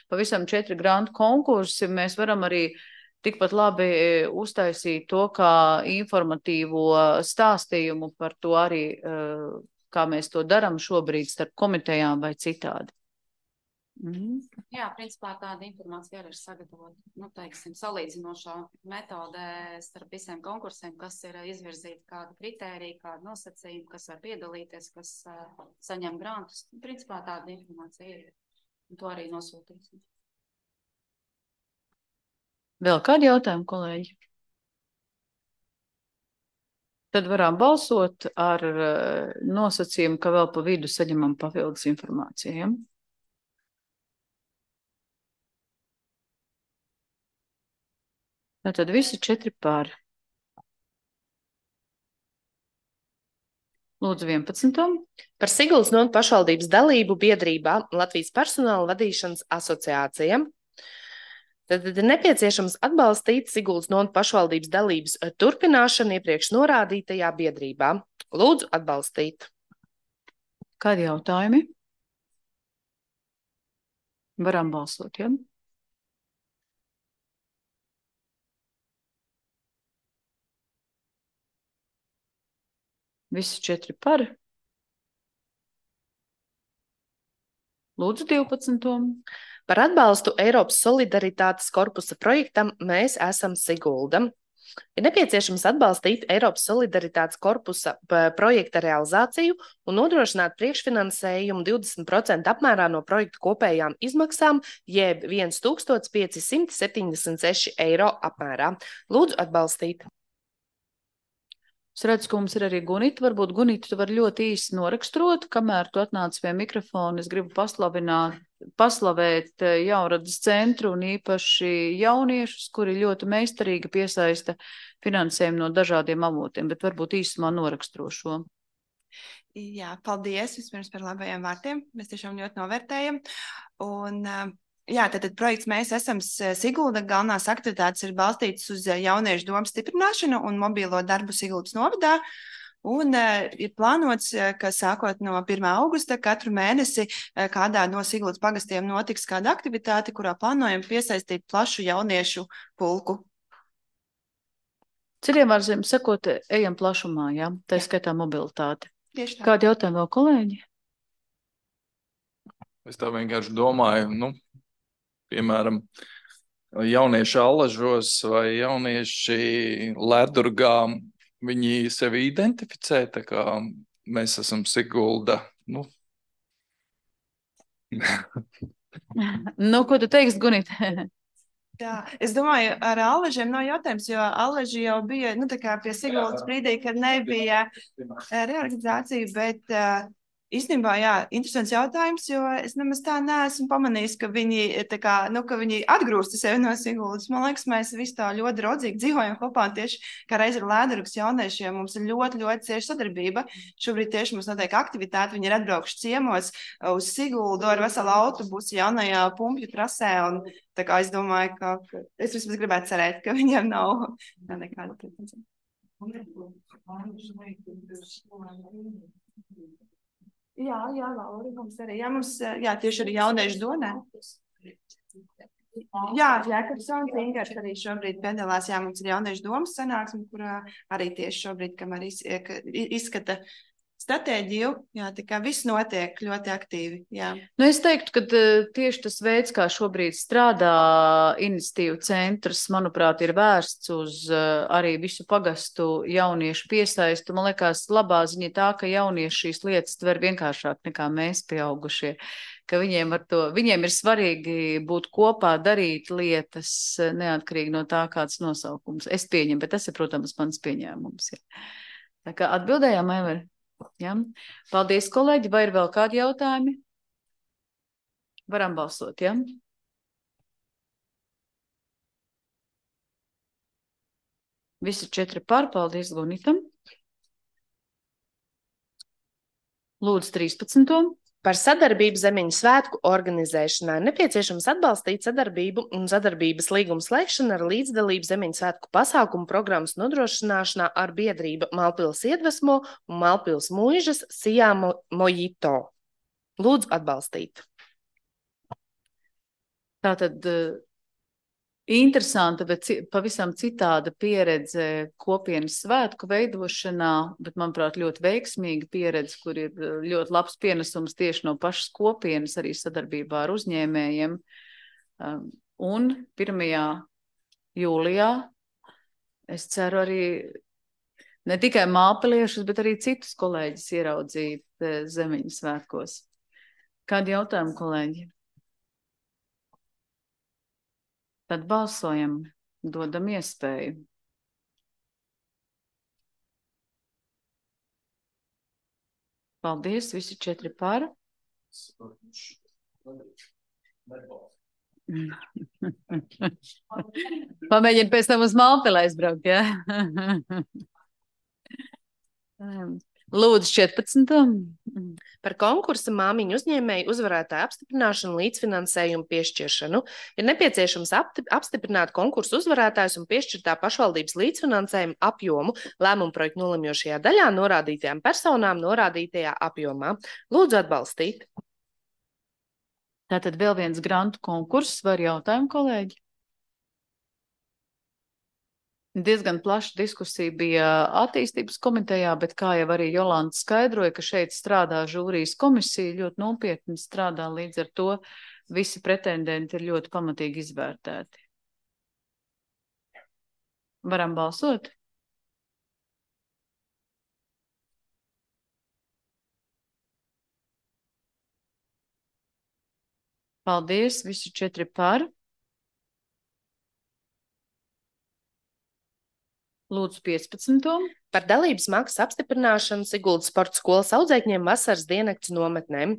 Pavisam četri grantu konkursi, mēs varam arī tikpat labi uztaisīt to kā informatīvo stāstījumu par to arī, kā mēs to darām šobrīd starp komitejām vai citādi. Mm. Jā, principā tāda informācija arī ir sagatavota, nu, teiksim, salīdzinošā metodē starp visiem konkursiem, kas ir izvirzīti, kāda kritērija, kāda nosacījuma, kas var piedalīties, kas uh, saņem grantus. Principā tāda informācija ir. Un to arī nosūtīsim. Vēl kādi jautājumi, kolēģi? Tad varam balsot ar uh, nosacījumu, ka vēl pa vidu saņemam papildus informāciju. Ja? Tātad visi četri pār. Lūdzu vienpadsmito. Par Siguldas novadas pašvaldības dalību biedrībā Latvijas personāla vadīšanas asociācija. Tad ir nepieciešams atbalstīt Siguldas novadas pašvaldības dalības turpināšanu iepriekš norādītajā biedrībā. Lūdzu atbalstīt. Kādi jautājumi? Varam balsot, ja? Visi četri par. Lūdzu divpadsmito. Par atbalstu Eiropas solidaritātes korpusa projektam Mēs esam Sigulda. Ir nepieciešams atbalstīt Eiropas solidaritātes korpusa projekta realizāciju un nodrošināt priekšfinansējumu divdesmit procentu apmērā no projekta kopējām izmaksām, jeb tūkstoš pieci simti septiņdesmit seši eiro apmērā. Lūdzu atbalstīt. Es redzu, ka mums ir arī Gunita. Varbūt, Gunita, tu vari ļoti īsi noraksturot, kamēr tu atnāc pie mikrofona. Es gribu paslavināt, paslavēt Jaunradas centru un īpaši jauniešus, kuri ļoti meistarīgi piesaista finansējumu no dažādiem avotiem, bet varbūt īsumā noraksturo šo. Jā, paldies vispirms par labajiem vārtiem. Mēs tiešām ļoti novērtējam. Un, jā, tātad projekts Mēs esam Sigulda galvenās aktivitātes ir balstītas uz jauniešu domu stiprināšanu un mobīlo darbu Siguldas novadā. Un uh, ir plānots, ka sākot no pirmā augusta katru mēnesi uh, kādā no Siguldas pagastiem notiks kāda aktivitāte, kurā plānojam piesaistīt plašu jauniešu pulku. Citiem vārdiem sakot, ejam plašumā, jā, tā skaitā mobilitāte. Tieši tā. Kādi jautājumi vēl, kolēģi? Es tā vienkārši domāju, nu, piemēram, jaunieši Allažos vai jaunieši Ledurgā, viņi sevi identificē, tā kā mēs esam Sigulda. Nu, nu ko tu teiksi, Gunita? Jā, es domāju, ar Allažiem nav jautājums, jo Allaži jau bija, nu, tā kā pie Siguldas brīdī, kad nebija reorganizācija, bet uh, īstenībā, jā, interesants jautājums, jo es nemaz tā neesmu pamanījis, ka viņi, tā kā, nu, ka viņi atgrūsta sevi no Siguldas. Man liekas, mēs visi tā ļoti draudzīgi dzīvojam kopā, tieši kā reiz ar Lēdurgas jauniešiem. Mums ir ļoti, ļoti cieša sadarbība. Šobrīd tieši mums notiek aktivitāte. Viņi ir atbraukši ciemos uz Siguldu ar veselu autobusu jaunajā pumpju trasē. Un tā kā es domāju, ka, ka es vismaz gribētu cerēt, ka viņiem nav, nav nekāda pretenzija. Jā, jā, Laura, mums arī. Jā, mums, jā, tieši arī jauniešu donē. Jā, Jēkabsons Ingars arī šobrīd piedalās. Jā, mums ir jauniešu domas sanāksme, kurā arī tieši šobrīd, kamēr izskata stratēģiju, jā, tā kā viss notiek ļoti aktīvi, jā. Nu, es teiktu, ka tieši tas veids, kā šobrīd strādā iniciatīvu centrs, manuprāt, ir vērsts uz arī visu pagastu jauniešu piesaistu. Man liekas, labā ziņa tā, ka jaunieši šīs lietas tver vienkāršāk nekā mēs pieaugušie, ka viņiem, ar to, viņiem ir svarīgi būt kopā, darīt lietas neatkarīgi no tā, kāds nosaukums. Es pieņemu, bet tas ir, protams, mans pieņēmums. Jā. Tā kā atbildējām, Aivar? Ja? Paldies, kolēģi. Vai ir vēl kādi jautājumi? Varam balsot, ja? Visi četri par. Paldies, Gunitam. Lūdzu, trīspadsmito. Par sadarbību Zemeņu svētku organizēšanā nepieciešams atbalstīt sadarbību un sadarbības līgumu slēgšanu ar līdzdalību Zemeņu svētku pasākumu programmas nodrošināšanā ar biedrību Malpils Iedvesmo un Malpils Muižas Sijā Mojito. Lūdzu atbalstīt. Tātad interesanta, bet pavisam citāda pieredze kopienas svētku veidošanā, bet, manuprāt, ļoti veiksmīga pieredze, kur ir ļoti labs pienesums tieši no pašas kopienas, arī sadarbībā ar uzņēmējiem. Un pirmajā jūlijā es ceru arī ne tikai māpeliešus, bet arī citus kolēģis ieraudzīt Zemeņu svētkos. Kādi jautājumi, kolēģi? Tad balsojam, dodam iespēju. Paldies, visi četri par. Pamēģini pēc tam uz Malpili aizbraukt, jā? Lūdzu, četrpadsmito. Par konkursa māmiņu uzņēmēju uzvarētāju apstiprināšanu līdzfinansējumu piešķiršanu ir nepieciešams apstiprināt konkursu uzvarētājus un piešķirtā pašvaldības līdzfinansējumu apjomu lēmumu projektu nolemjošajā daļā norādītajām personām norādītajā apjomā. Lūdzu atbalstīt. Tātad vēl viens grantu konkurss, var jautājumu, kolēģi? Diezgan plaša diskusija bija attīstības komitejā, bet kā jau arī Jolanta skaidroja, ka šeit strādā žūrijas komisija, ļoti nopietni strādā, līdz ar to visi pretendenti ir ļoti pamatīgi izvērtēti. Varam balsot? Paldies, visi četri par. Lūdzu, piecpadsmito. Par dalības maksas apstiprināšanu Siguldas sporta skolas audzēkņiem vasaras diennakts nometnēm.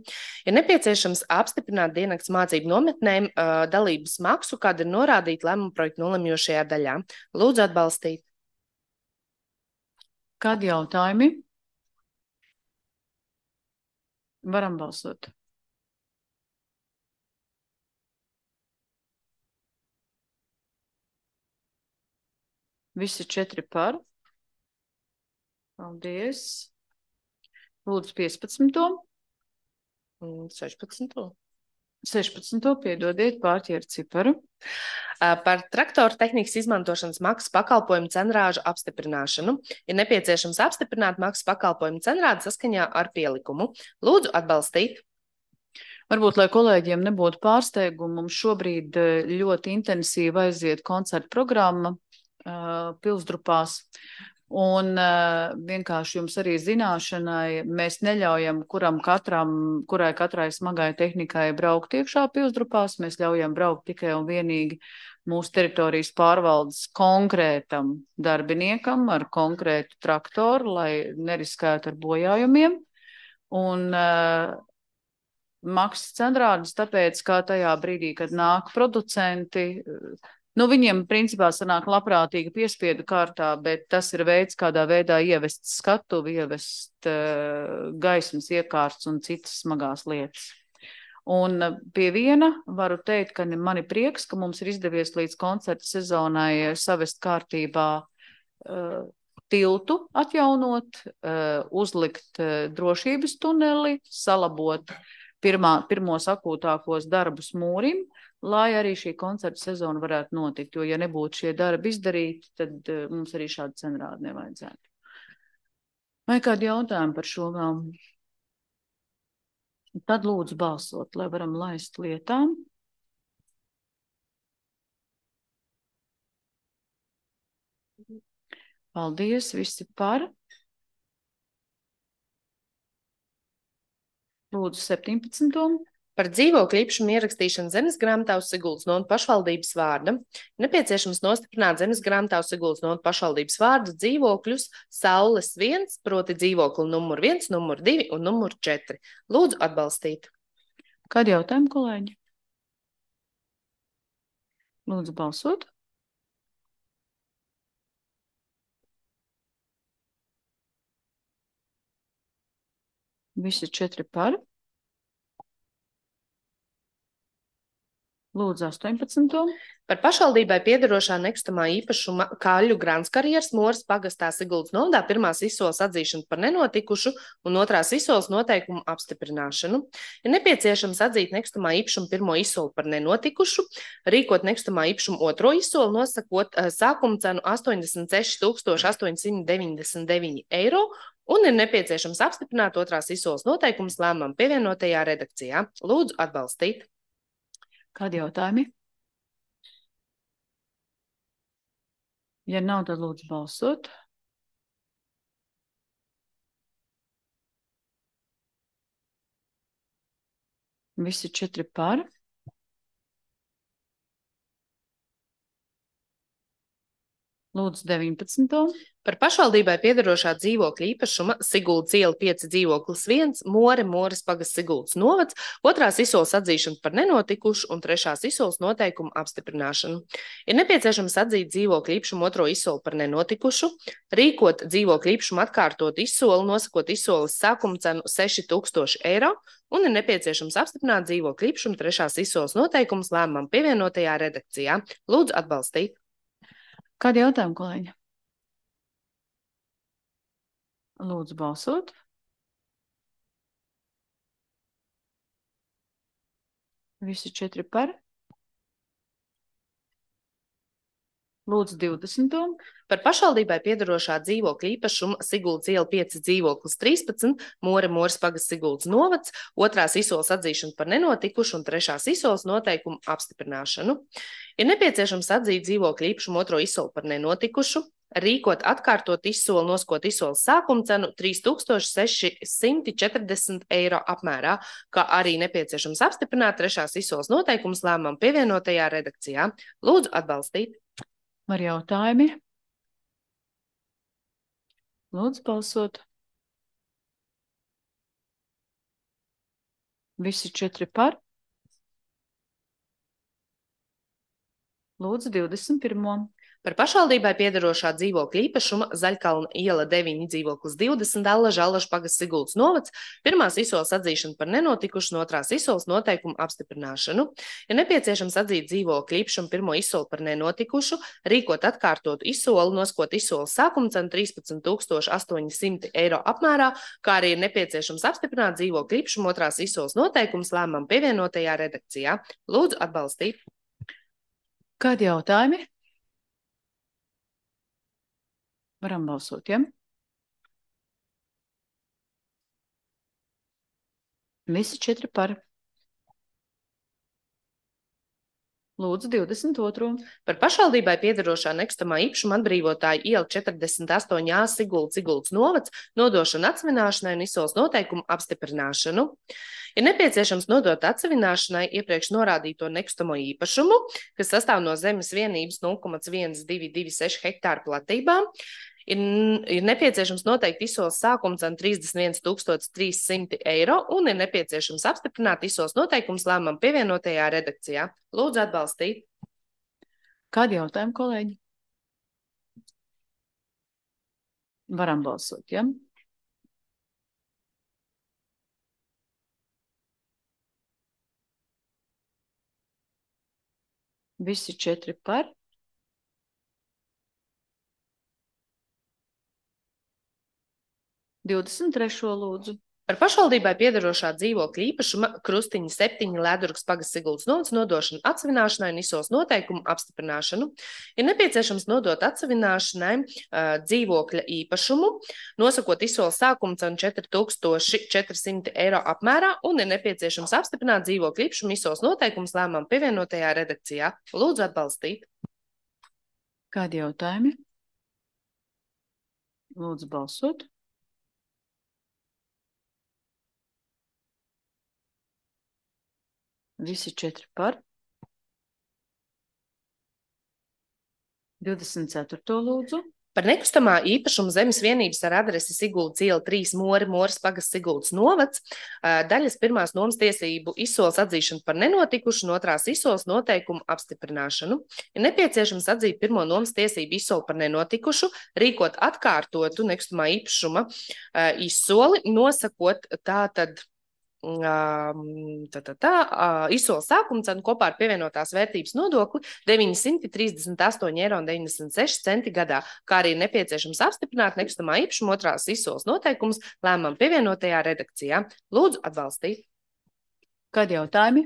Ir nepieciešams apstiprināt diennakts mācību nometnēm uh, dalības maksu, kāda ir norādīta lēmuma projekta nolemjošajā daļā. Lūdzu atbalstīt. Kādi jautājumi? Varam balsot. Visi četri par. Paldies. Lūdzu, piecpadsmito. sešpadsmito. sešpadsmito. Piedodiet, pārķēru ciparu. Par traktoru tehnikas izmantošanas maksas pakalpojumu cenrāžu apstiprināšanu ir nepieciešams apstiprināt maksas pakalpojumu cenrādi saskaņā ar pielikumu. Lūdzu atbalstīt. Varbūt, lai kolēģiem nebūtu pārsteigumu, mums šobrīd ļoti intensīvi aiziet koncerta programma uh, Pilsdrupās. Un uh, vienkārši jums arī zināšanai, mēs neļaujam kuram katram, kurai katrai smagai tehnikai braukt iekšā Pilsdrupās, mēs ļaujam braukt tikai un vienīgi mūsu teritorijas pārvaldes konkrētam darbiniekam ar konkrētu traktoru, lai neriskētu ar bojājumiem. Un uh, maksas cenrādes, tāpēc, kā tajā brīdī, kad nāk producenti, nu, viņiem principā sanāk labprātīga piespiedu kārtā, bet tas ir veids, kādā veidā ievest skatuvi, ievest uh, gaismas iekārts un citas smagās lietas. Un pie viena varu teikt, ka man ir prieks, ka mums ir izdevies līdz koncerta sezonai savest kārtībā uh, tiltu atjaunot, uh, uzlikt uh, drošības tuneli, salabot pirmā, pirmos akūtākos darbus mūrim, lai arī šī koncerta sezona varētu notikt, jo ja nebūtu šie darbi izdarīti, tad uh, mums arī šādu cenrādu nevajadzētu. Vai kādi jautājumi par šo vēl? Tad lūdzu balsot, lai varam laist lietām. Paldies, visi par. Lūdzu, septiņpadsmito. Par dzīvokļu īpašumu ierakstīšanu zemes grāmatā uz Siguldas novadas pašvaldības vārda nepieciešams nostiprināt zemes grāmatā uz Siguldas novadas pašvaldības vārdu dzīvokļus Saules viens, proti dzīvokli numur viens, numur divi un numur četri. Lūdzu atbalstīt. Kādi jautājumi, kolēģi? Lūdzu balsot. Visi četri par. Lūdzu, astoņpadsmito. Par pašvaldībai piederošā nekustamā īpašuma Kaļu Granskarjeras Moras pagastā Siguldas novadā pirmās izsoles atzīšanu par nenotikušu un otrās izsoles noteikumu apstiprināšanu. Ir nepieciešams atzīt nekustamā īpašuma pirmo izsoli par nenotikušu, rīkot nekustamā īpašuma otro izsoli, nosakot uh, sākuma cenu astoņdesmit seši tūkstoši astoņsimt deviņdesmit deviņi eiro, un ir nepieciešams apstiprināt otrās izsoles noteikumus lēmumam pievienotajā redakcijā. Lūdzu atbalstīt. Kādi jautājumi? Ja nav, tad lūdzu balsot. Visi četri par. Lūdzu, deviņpadsmito. Par pašvaldībai piederošā dzīvokļa īpašuma Siguldas iela pieci dzīvoklis viens, More, Moras pagasts Siguldas novads, otrās izsoles atzīšanu par nenotikušu un trešās izsoles noteikumu apstiprināšanu. Ir nepieciešams atzīt dzīvokļa īpašumu otro izsoli par nenotikušu, rīkot dzīvokļa īpašumu atkārtot izsoli, nosakot izsoles sākuma cenu seši tūkstoši eiro, un ir nepieciešams apstiprināt dzīvokļa īpašumu trešās izsoles noteikumus lēmumam pievienotajā redakcijā. Lūdzu atbalstīt. Kādi jautājumi, kolēģi? Lūdzu balsot. Visi četri par. Lūdzu, divdesmito. Par pašvaldībai piedarošā dzīvokļa īpašuma Siguldas iela pieci dzīvoklis trīspadsmit, More Mūras pagasts Siguldas novads, otrās izsoles atzīšanu par nenotikušu un trešās izsoles noteikumu apstiprināšanu. Ir nepieciešams atzīt dzīvokļa īpašumu otro izsoli par nenotikušu, rīkot atkārtot izsoli, noskot izsoles sākuma cenu trīs tūkstoši seši simti četrdesmit eiro apmērā, kā arī nepieciešams apstiprināt trešās izsoles noteikumus lēmumam pievienotajā redakcijā. Lūdzu atbalstīt. Var jautājumi? Lūdzu balsot. Visi četri par. Lūdzu divdesmit pirmo. Par pašvaldībai piedarošā dzīvokļa īpašuma Zaļkalna iela deviņi dzīvoklis divdesmit, Allaža Allaža pagasts Siguldas novads, pirmās izsoles atzīšanu par nenotikušu un otrās izsoles noteikumu apstiprināšanu. Ir nepieciešams atzīt dzīvokļa īpašumu pirmo izsoli par nenotikušu, rīkot atkārtotu izsoli, noskot izsoles sākuma cenu trīspadsmit tūkstoši astoņi simti eiro apmērā, kā arī ir nepieciešams apstiprināt dzīvokļa īpašumu otrās izsoles noteikumus lēmumam pievienotajā redakcijā. Lūdzu atbalstīt. Kādi jautājumi? Varam balsot, ja? Visi četri par. Lūdzu, divdesmit otro. Par pašvaldībai piedarošā nekustamā īpašuma atbrīvotāja iela četrdesmit astoņi A Siguldas Siguldas novads, nodošana atsevināšanai un izsoles noteikumu apstiprināšanu. Ir nepieciešams nodot atsevināšanai iepriekš norādīto nekustamo īpašumu, kas sastāv no zemes vienības nulle komats viens divi divi seši hektāru platībā. Ir, ir nepieciešams noteikt izsoles sākuma cenu trīsdesmit viens tūkstoši trīs simti eiro un ir nepieciešams apstiprināt izsoles noteikumus lēmumam pievienotajā redakcijā. Lūdzu atbalstīt. Kādi jautājumi, kolēģi? Varam balsot, ja? Visi četri par. divdesmit trešo lūdzu. Par pašvaldībai piedarošā dzīvokļa īpašuma Krustiņa septiņi Ledurgas pagasts Siguldas novads nodošanu atsevināšanai un izsoles noteikumu apstiprināšanu. Ir nepieciešams nodot atsevināšanai uh, dzīvokļa īpašumu, nosakot izsoles sākuma cenu četri tūkstoši četri simti eiro apmērā un ir nepieciešams apstiprināt dzīvokļa īpašumu izsoles noteikumus lēmumam pievienotajā redakcijā. Lūdzu atbalstīt. Kādi jautājumi? Lūdzu balsot. Visi četri par. divdesmit ceturto lūdzu. Par nekustamā īpašuma zemes vienības ar adresi Siguldas iela trīs More Mūras pagasts Siguldas novads, daļas pirmās nomas tiesību izsoles atzīšanu par nenotikušu un otrās izsoles noteikumu apstiprināšanu. Ir nepieciešams atzīt pirmo nomas tiesību izsoli par nenotikušu, rīkot atkārtotu nekustamā īpašuma izsoli, nosakot tātad Tā, tā, tā, izsoles sākuma cenu kopā ar pievienotās vērtības nodokli deviņi simti trīsdesmit astoņi eiro un deviņdesmit seši centi gadā, kā arī nepieciešams apstiprināt nekustamā īpašuma otrās izsoles noteikumus lēmumam pievienotajā redakcijā. Lūdzu atbalstīt. Kādi jautājumi?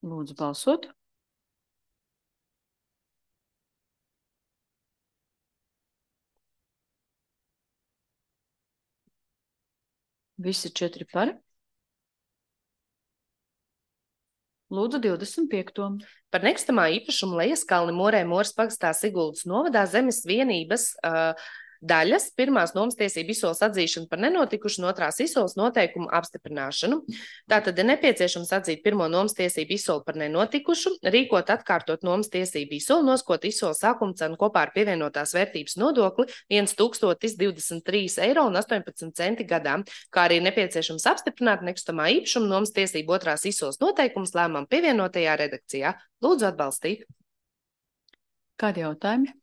Lūdzu balsot. Visi četri par. Lūdzu divdesmit piekto. Par nekustamā īpašuma Lejaskalni Morē Mūras pagastā Siguldas novadā zemes vienības uh, daļas pirmās nomas tiesību izsoles atzīšanu par nenotikušu un otrās izsoles noteikumu apstiprināšanu. Tātad ir nepieciešams atzīt pirmo nomas tiesību izsoli par nenotikušu, rīkot atkārtot nomas tiesību izsoli, noskot izsoles sākuma cenu kopā ar pievienotās vērtības nodokli viens tūkstotis divdesmit trīs eiro un astoņpadsmit centi gadā, kā arī nepieciešams apstiprināt nekustamā īpašuma nomas tiesību otrās izsoles noteikumus lēmumam pievienotajā redakcijā. Lūdzu atbalstīt. Kādi jautājumi?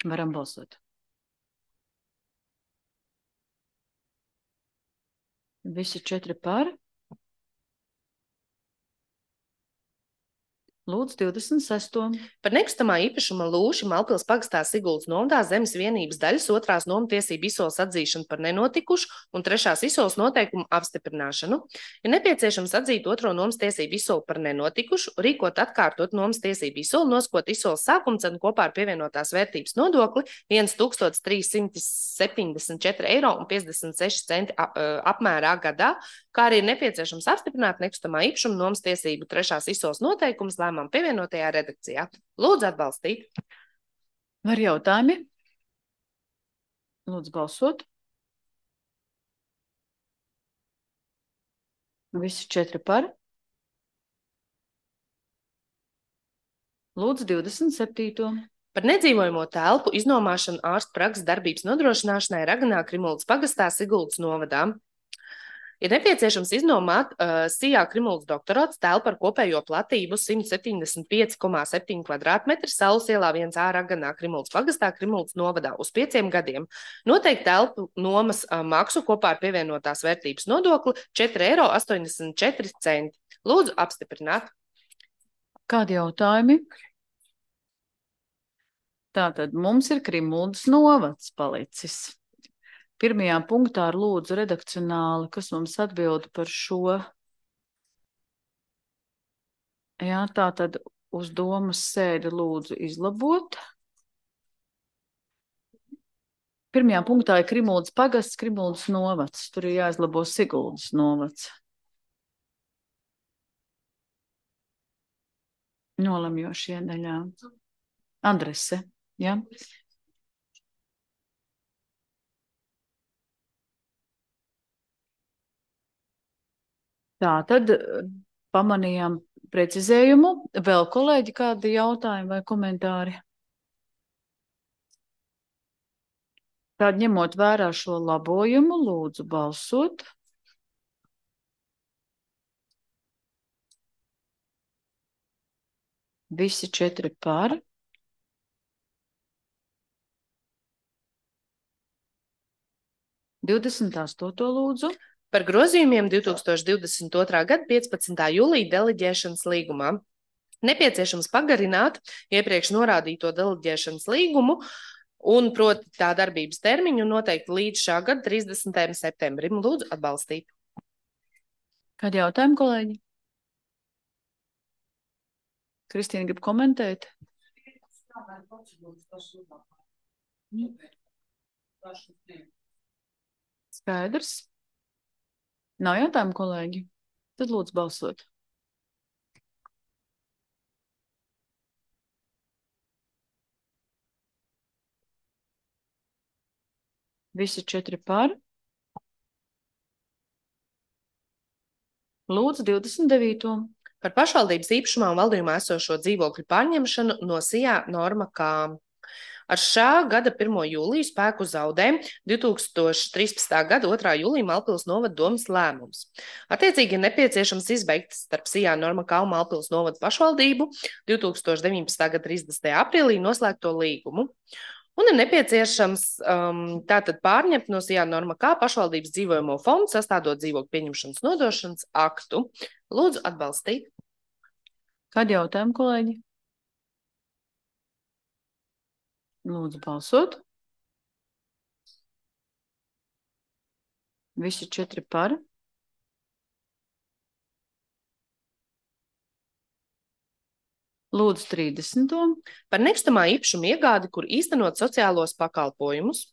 Varam balsot. Visi četri par. Lūdzu, divdesmit sesto. Par nekustamā īpašuma lūši Malpils pagastā Siguldas novadā zemes vienības daļas otrās nomatiesību izsoles atzīšanu par nenotikušu un trešās izsoles noteikumu apstiprināšanu. Ir nepieciešams atzīt otro nomas tiesību izsoli par nenotikušu, rīkot atkārtot nomas tiesību izsoli, noskot izsoles sākumcenu kopā ar pievienotās vērtības nodokli viens tūkstotis trīs simti septiņdesmit četri eiro un piecdesmit seši centi apmērā gadā, kā arī ir nepieciešams apstiprināt nekustamā īpašuma nomas tiesību trešās izsoles noteikumus lēmām pievienotajā redakcijā. Lūdzu atbalstīt. Var jautājumi? Lūdzu balsot. Visi četri par. Lūdzu divdesmit septīto. Par nedzīvojamo telpu iznomāšanu ārstu prakses darbības nodrošināšanai Raganā Krimuldas pagastā Siguldas novadā. Ir nepieciešams iznomāt uh, Sijā Krimuldas doktorāts telpu ar kopējo platību simt septiņdesmit pieci komā septiņi kvadrātmetri Saules ielā viens A Raganā Krimuldas pagastā Krimuldas novadā uz pieciem gadiem. Noteikti telpu nomas uh, maksu kopā ar pievienotās vērtības nodokli četri eiro astoņdesmit četri centi. Lūdzu apstiprināt. Kādi jautājumi? Tātad mums ir Krimuldas novads palicis. Pirmajā punktā ar lūdzu redakcionāli, kas mums atbild par šo. Jā, tātad uz domas sēdi lūdzu izlabot. Pirmajā punktā ir Krimuldas pagasts, Krimuldas novads. Tur ir jāizlabo Siguldas novads. Nolemjošie daļā. Adrese, jā. Tā, tad pamanījām precizējumu. Vēl kolēģi kādi jautājumi vai komentāri? Tad ņemot vērā šo labojumu, lūdzu balsot. Visi četri par. divdesmit astoto lūdzu. Par grozījumiem divtūkstoš divdesmit otrā gada piecpadsmitā jūlija deleģēšanas līgumā. Nepieciešams pagarināt iepriekš norādīto deleģēšanas līgumu un proti tā darbības termiņu noteikti līdz šā gada trīsdesmitajam septembrim. Lūdzu atbalstīt. Kādi jautājumi, kolēģi? Kristīna grib komentēt? Skaidrs. Nav jautājumu, kolēģi? Tad lūdzu balsot. Visi četri par. Lūdzu divdesmit devīto. Par pašvaldības īpašumā un valdījumā esošo dzīvokļu pārņemšanu no Sijā Norma K. Ar šā gada pirmo jūliju spēku zaudē divtūkstoš trīspadsmitā gada otrā jūlija Malpils novada domes lēmums. Attiecīgi ir nepieciešams izbeigt starp Sijā Norma K un Malpils novada pašvaldību divtūkstoš deviņpadsmitā gada trīsdesmitajā aprīlī noslēgto līgumu. Un ir nepieciešams um, tātad pārņemt no Sijā Norma K pašvaldības dzīvojamo fondu, sastādot dzīvokļu pieņemšanas nodošanas aktu. Lūdzu atbalstīt. Kādi jautājumi, kolēģi? Lūdzu balsot. Visi četri par. Lūdzu trīsdesmito. Par nekustamā īpašuma iegādi, kur īstenot sociālos pakalpojumus.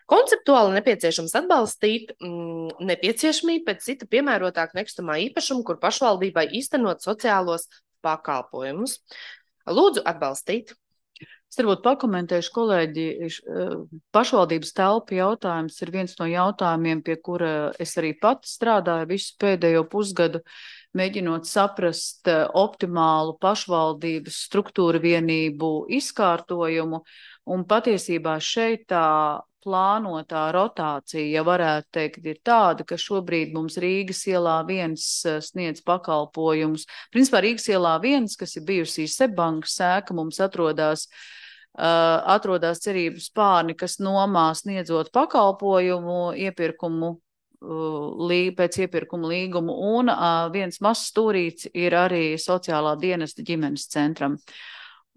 Konceptuāli nepieciešams atbalstīt mm, nepieciešamību pēc cita piemērotāk nekustamā īpašuma, kur pašvaldībai īstenot sociālos pakalpojumus. Lūdzu atbalstīt. Es varbūt pakomentēšu, kolēģi, pašvaldības telpu jautājums ir viens no jautājumiem, pie kura es arī pati strādāju visu pēdējo pusgadu, mēģinot saprast optimālu pašvaldības struktūra vienību izkārtojumu, un patiesībā šeit tā plānotā rotācija, ja varētu teikt, ir tāda, ka šobrīd mums Rīgas ielā viens sniedz pakalpojumus. Principā Rīgas ielā viens, kas ir bijusī Seibankas sēka, mums atrodās, uh, atrodās cerības spārni, kas nomā sniedzot pakalpojumu, iepirkumu lī, pēc iepirkuma līguma, un uh, viens mazs stūrīts ir arī sociālā dienesta ģimenes centram.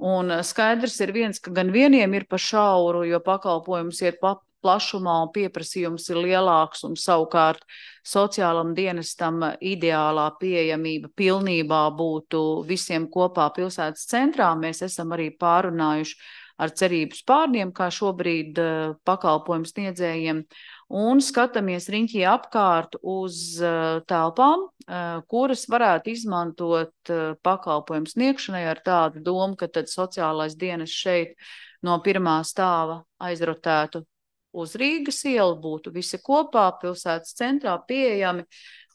Un skaidrs ir viens, ka gan vieniem ir pa šauru, jo pakalpojums iet pa plašumā un pieprasījums ir lielāks, un savukārt sociālam dienestam ideālā pieejamība pilnībā būtu visiem kopā pilsētas centrā. Mēs esam arī pārunājuši ar cerības pārniem, kā šobrīd uh, pakalpojums sniedzējiem, un skatāmies riņķī apkārt uz uh, telpām, uh, kuras varētu izmantot uh, pakalpojumu sniegšanai ar tādu domu, ka tad sociālais dienas šeit no pirmā stāva aizrotētu uz Rīgas ielu, būtu visi kopā pilsētas centrā pieejami,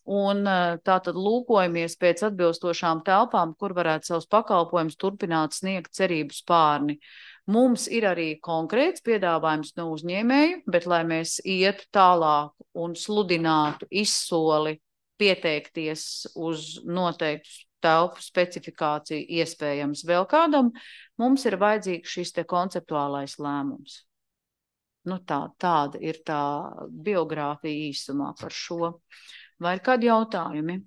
un uh, tātad lūkojamies pēc atbilstošām telpām, kur varētu savus pakalpojumus turpināt sniegt cerības pārni. Mums ir arī konkrēts piedāvājums no uzņēmēju, bet lai mēs ietu tālāk un sludinātu izsoli pieteikties uz noteiktu telpu specifikāciju iespējams vēl kādam, mums ir vajadzīgs šis te konceptuālais lēmums. Nu tā, tāda ir tā biogrāfija īsumā par šo. Vai ir kādi jautājumi?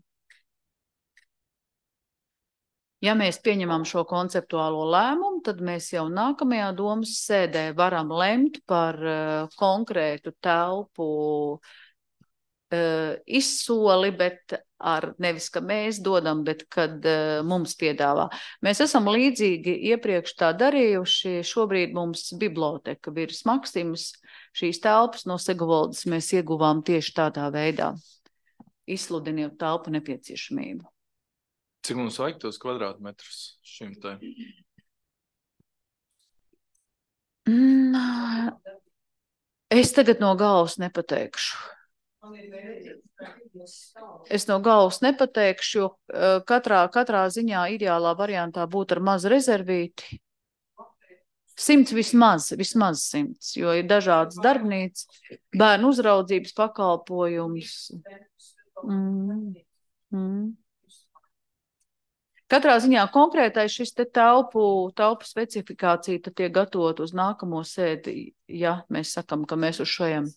Ja mēs pieņemam šo konceptuālo lēmumu, tad mēs jau nākamajā domas sēdē varam lemt par uh, konkrētu telpu uh, izsoli, bet ar nevis, ka mēs dodam, bet kad uh, mums piedāvā. Mēs esam līdzīgi iepriekš tā darījuši. Šobrīd mums biblioteka Virs Maksims, šīs telpas no Segovaldas mēs ieguvām tieši tādā veidā, izsludinot telpu nepieciešamību. Cik mums vajag tos kvadrātmetrus šim te? Mm, es tagad no galvas nepateikšu. Es no galvas nepateikšu, jo uh, katrā, katrā ziņā ideālā variantā būtu ar mazu rezervīti. Simts vismaz, vismaz simts, jo ir dažādas darbnīcas, bērnu uzraudzības pakalpojums. Mm, mm. Katrā ziņā konkrētais šis te telpu, telpu specifikācija tad tiek gatavot uz nākamo sēdi, ja mēs sakam, ka mēs uz šajam.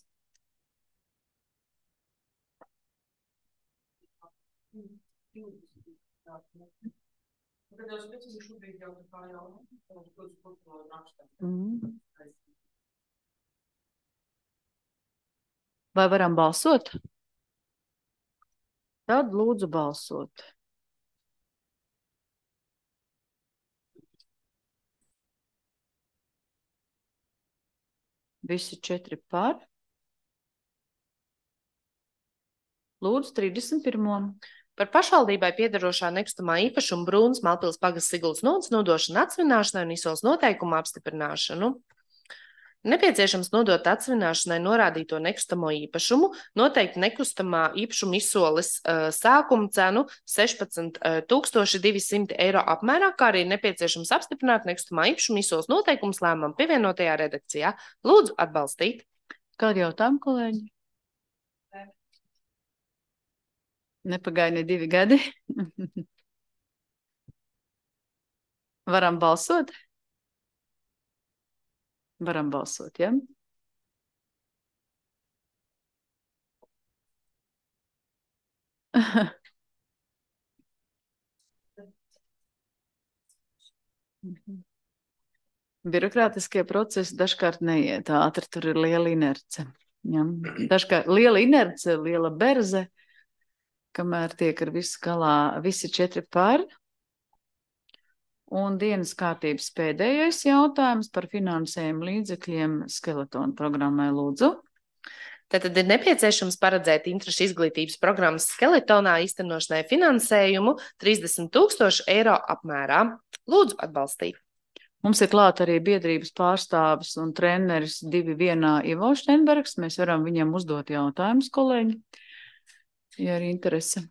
Mm. Vai varam balsot? Tad lūdzu balsot. Visi četri par. Lūdzu, trīsdesmit pirmo. Par pašvaldībai piederošā nekustamā īpašuma Brūnas Malpils pagasts Siguldas nodaļas nodošanu atsvināšanai un izsoles noteikumu apstiprināšanu. Nepieciešams nodot atsvināšanai norādīto nekustamo īpašumu, noteikti nekustamā īpašuma izsoles uh, sākuma cenu sešpadsmit tūkstoši divi simti eiro apmērā, kā arī nepieciešams apstiprināt nekustamā īpašuma izsoles noteikumus lēmumam pievienotajā redakcijā. Lūdzu atbalstīt. Kādi jautājumi, kolēģi? Nepagāja ne divi gadi. Varam balsot? Varam balsot, ja? Birokrātiskie procesi dažkārt neiet ātri, tur ir liela inerce. Ja? Dažkārt liela inerce, liela berze, kamēr tiek ar visu galā visi četri par. Un dienas kārtības pēdējais jautājums par finansējumu līdzekļiem Skeletona programmai, lūdzu. Tātad ir nepieciešams paredzēt interešu izglītības programmas Skeletonā īstenošanai finansējumu trīsdesmit tūkstoši eiro apmērā. Lūdzu atbalstīt. Mums ir klāt arī biedrības pārstāvis un treneris divi vienā Ivo Štenbergs. Mēs varam viņam uzdot jautājumus, kolēģi, ja ir interese.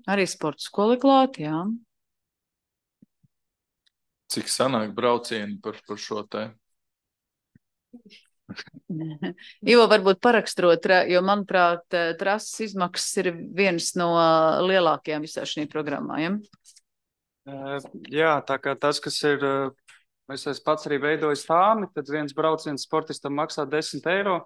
Arī sporta skola klāt, jā. Cik sanāk braucieni par, par šo te? Ivo varbūt paraksturot, jo, manuprāt, trases izmaksas ir viens no lielākajām visā šī programmā, ja? Jā, tā kā tas, kas ir, es esmu pats arī veidojis tāmi, tad viens brauciens sportistam maksā desmit eiro.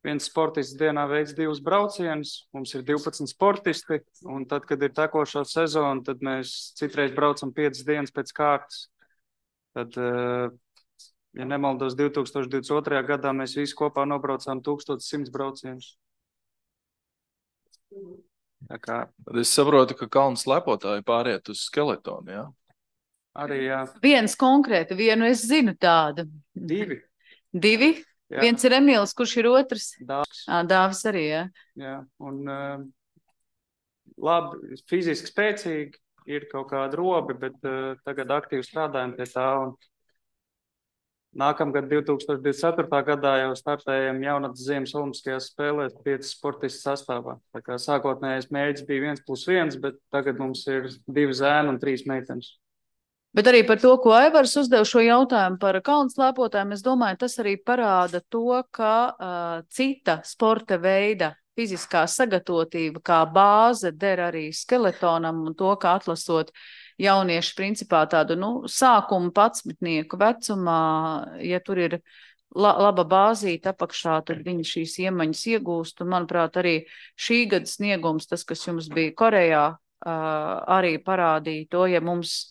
viens sportists dienā veids divus braucienus, mums ir divpadsmit sportisti, un tad, kad ir tekošā sezona, tad mēs citreiz braucam piecas dienas pēc kārtas. Tad, ja nemaldos, divi tūkstoši divdesmit otrajā gadā mēs visi kopā nobraucām tūkstoš simts braucienus. Tā kā Tad es saprotu, ka kalnu slepotāji pāriet uz skeletonu, jā? arī, jā, Viens konkrēti, vienu es zinu tādu. divi. Divi? Jā. Viens ir Emīls, kurš ir otrs? Dāvis. Ā, Dāvis arī, jā. Jā, un uh, labi, fiziski spēcīgi, ir kaut kāda robi, bet uh, tagad aktīvi strādājam pie tā. Un nākamgad, divi tūkstoši divdesmit ceturtajā gadā, jau startējam jaunatnes ziemas olimpiskajās spēlēs piecas sportistu sastāvā. Tā kā sākotnējais mērķis bija viens plus viens, bet tagad mums ir divi zēni un trīs meitenes. Bet arī par to, ko Aivars uzdev šo jautājumu par kalnu slēpotājiem, es domāju, tas arī parāda to, ka uh, cita sporta veida fiziskā sagatavotība kā bāze der arī skeletonam un to, ka atlasot jaunieši principā tādu, nu, sākumu padsmitnieku vecumā, ja tur ir la laba bāzīta apakšā, tad viņi šīs iemaņas iegūst. Un, manuprāt, arī šī gada sniegums, tas, kas jums bija Korejā, uh, arī parādīja to, ja mums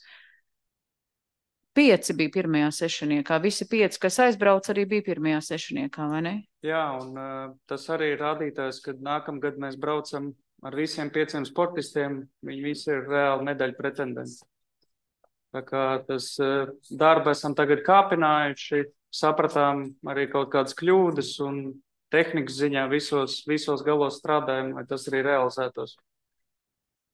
pieci bija pirmajā sešaniekā. Visi pieci, kas aizbrauc, arī bija pirmajā sešaniekā, vai ne? Jā, un uh, tas arī ir rādītājs, kad nākamgad mēs braucam ar visiem pieciem sportistiem, viņi visi ir reāli medaļu pretendenti. Tā kā tas uh, darbu esam tagad kāpinājuši, sapratām arī kaut kādas kļūdas un tehnikas ziņā visos, visos galos strādājam, lai tas arī realizētos.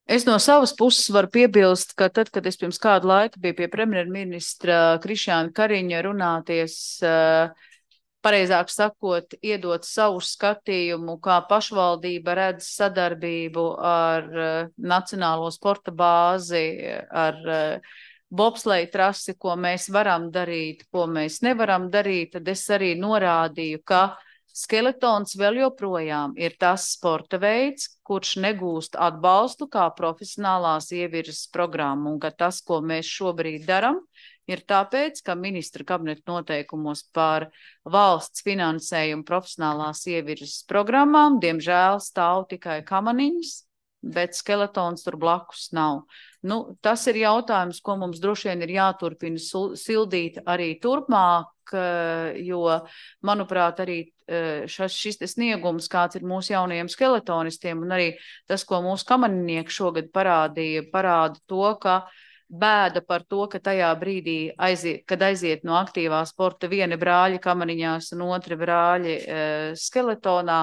Es no savas puses varu piebilst, ka tad, kad es pirms kādu laiku biju pie premjerministra Krišjāna Kariņa runāties, pareizāk sakot, iedot savu skatījumu, kā pašvaldība redz sadarbību ar Nacionālo sporta bāzi, ar bobsleja trasi, ko mēs varam darīt, ko mēs nevaram darīt, tad es arī norādīju, ka skeletons vēl joprojām ir tas sporta veids, kurš negūst atbalstu kā profesionālās ievirzes programma, un ka tas, ko mēs šobrīd daram, ir tāpēc, ka ministra kabineta noteikumos par valsts finansējumu profesionālās ievirzes programmām, diemžēl stāv tikai kamaniņas, bet skeletons tur blakus nav. Nu, tas ir jautājums, ko mums droši vien ir jāturpina sildīt arī turpmāk, jo, manuprāt, arī šas, šis sniegums, kāds ir mūsu jaunajiem skeletonistiem, un arī tas, ko mūsu kamaninieki šogad parādīja, parāda to, ka bēda par to, ka tajā brīdī, aiziet, kad aiziet no aktīvā sporta vieni brāļi kamaniņās un otri brāļi e, skeletonā,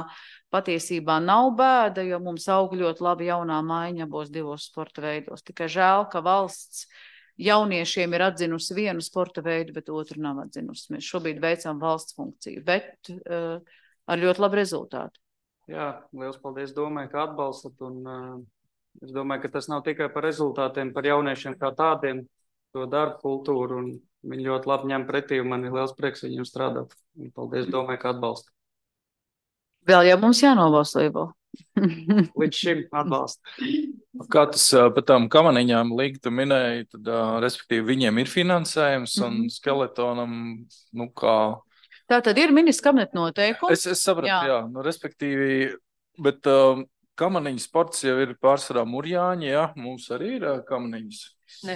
patiesībā nav bēda, jo mums aug ļoti labi jaunā maiņa abos divos sporta veidos. Tikai žēl, ka valsts jauniešiem ir atzinusi vienu sporta veidu, bet otru nav atzinusi. Mēs šobrīd veicam valsts funkciju, bet uh, ar ļoti labu rezultātu. Jā, liels paldies, domāju, ka atbalstat, un uh, es domāju, ka tas nav tikai par rezultātiem, par jauniešiem kā tādiem, to darbu kultūru, un viņi ļoti labi ņem pretī, un man ir liels prieks viņiem strādāt. Un paldies, domāju, ka atbalstat. Vēl jau mums jānobalso, Ivo. Līdz šim atbalsta. Kā tas par tām kamaniņām Līga tu minēji, tad, respektīvi, viņiem ir finansējums un mm-hmm. skeletonam, nu kā... Tā tad ir ministra kabineta noteikumi. Es, es sapratu, jā, jā nu, respektīvi, bet um, kamaniņu sports jau ir pārsvarā Murjāņi, jā, mums arī ir uh, kamaniņas. Ne,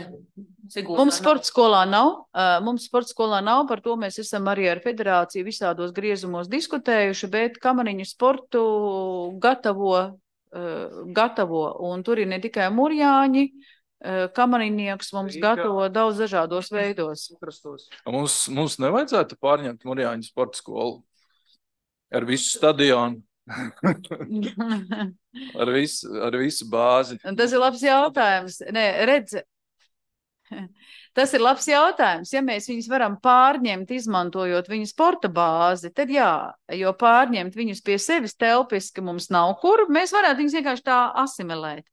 mums sporta skolā nav, uh, mums sporta skolā nav, par to mēs esam arī ar federāciju visādos griezumos diskutējuši, bet kamaniņu sportu gatavo, uh, gatavo, un tur ir ne tikai Murjāņi, uh, kamaniņnieks mums Rīga. Gatavo daudz dažādos veidos. Mums, mums nevajadzētu pārņemt Murjāņu sporta skolu ar visu stadionu. ar, visu, ar visu bāzi. Un tas ir labs jautājums. Nē, redz, tas ir labs jautājums. Ja mēs viņus varam pārņemt, izmantojot viņu sporta bāzi, tad jā, jo pārņemt viņus pie sevis telpiski mums nav kur, mēs varētu viņus vienkārši tā asimilēt.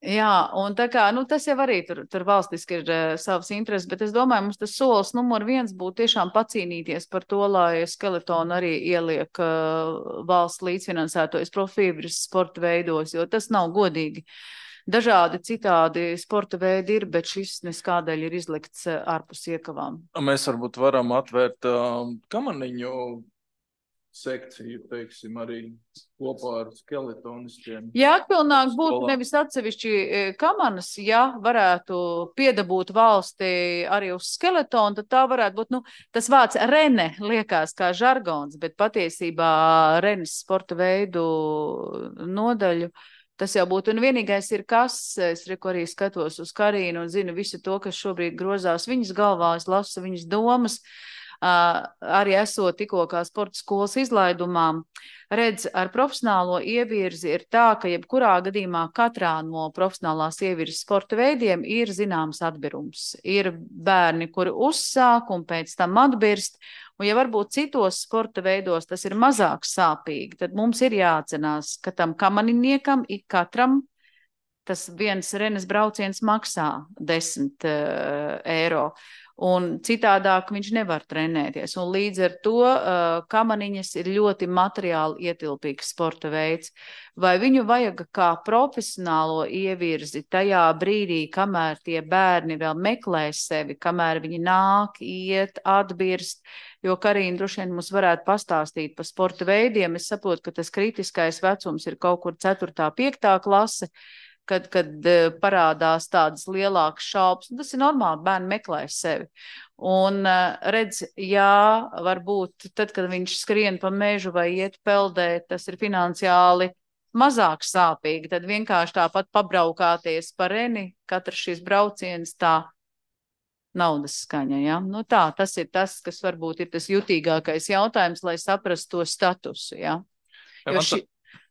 Jā, un tā kā, nu, tas jau arī tur, tur valstiski ir uh, savas intereses, bet es domāju, mums tas solis numur viens būtu tiešām pacīnīties par to, lai skeletonu arī ieliek uh, valsts līdzfinansētojas profibras sporta veidos, jo tas nav godīgi. dažādi citādi sporta veidi ir, bet šis neskādēļ ir izlikts ārpus iekavām. Mēs varbūt varam atvērt uh, kamaniņu sekciju, teiksim, arī kopā ar skeletonistiem. Jā, aktuālāk būtu nevis atsevišķi kamanas, ja varētu piedabūt valsti arī uz skeletonu, tad tā varētu būt, nu, tas vārds rene liekas kā žargons, bet patiesībā renes sporta veidu nodaļu, tas jau būtu, un vienīgais ir kas, es reku arī skatos uz Karīnu un zinu visu to, kas šobrīd grozās viņas galvā, es lasu viņas domas, Uh, arī esot tikko kā sporta skolas izlaidumā, redz, ar profesionālo ievirzi ir tā, ka jebkurā gadījumā katrā no profesionālās ievirzes sporta veidiem ir zināms atbirums. Ir bērni, kuri uzsāk un pēc tam atbirst, un ja varbūt citos sporta veidos tas ir mazāk sāpīgi, tad mums ir jāatcenās, ka tam kamaniniekam ik katram tas viens renes brauciens maksā desmit uh, eiro. Un citādāk viņš nevar trenēties. Un līdz ar to uh, kamaniņas ir ļoti materiāli ietilpīgs sporta veids. Vai viņu vajag kā profesionālo ievirzi tajā brīdī, kamēr tie bērni vēl meklē sevi, kamēr viņi nāk, iet, atbirst, jo Karīna droši vien mums varētu pastāstīt par sporta veidiem. Es saprotu, ka tas kritiskais vecums ir kaut kur ceturtā, piektā klase, kad, kad parādās tādas lielākas šaubas. Tas ir normāli, bērni meklē sevi. Un redz, jā, varbūt tad, kad viņš skrien pa mežu vai iet peldēt, tas ir finansiāli mazāk sāpīgi. Tad vienkārši tāpat pabraukāties pa reni, katrs šis brauciens tā naudas skaņa. Ja? Nu tā, tas ir tas, kas varbūt ir tas jutīgākais jautājums, lai saprastu to statusu. Ja? Ja, jo ši...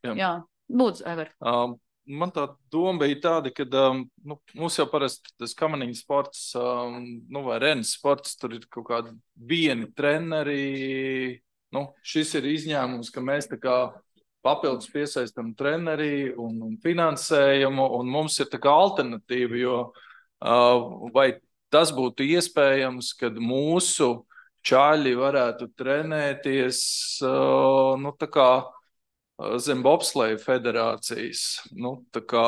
jā. jā, lūdzu, Ever. Um. Man tā doma bija tāda, ka um, nu, mums jau parasti tas kamaniņu sports, um, nu, vai renes sports, tur ir kaut kādi vieni treneri. Nu, šis ir izņēmums, ka mēs tā kā papildus piesaistam treneri un, un finansējumu, un mums ir tā kā alternatīva, jo uh, vai tas būtu iespējams, kad mūsu čaļi varētu trenēties, uh, nu, tā kā zem bobsleja federācijas, nu, tā kā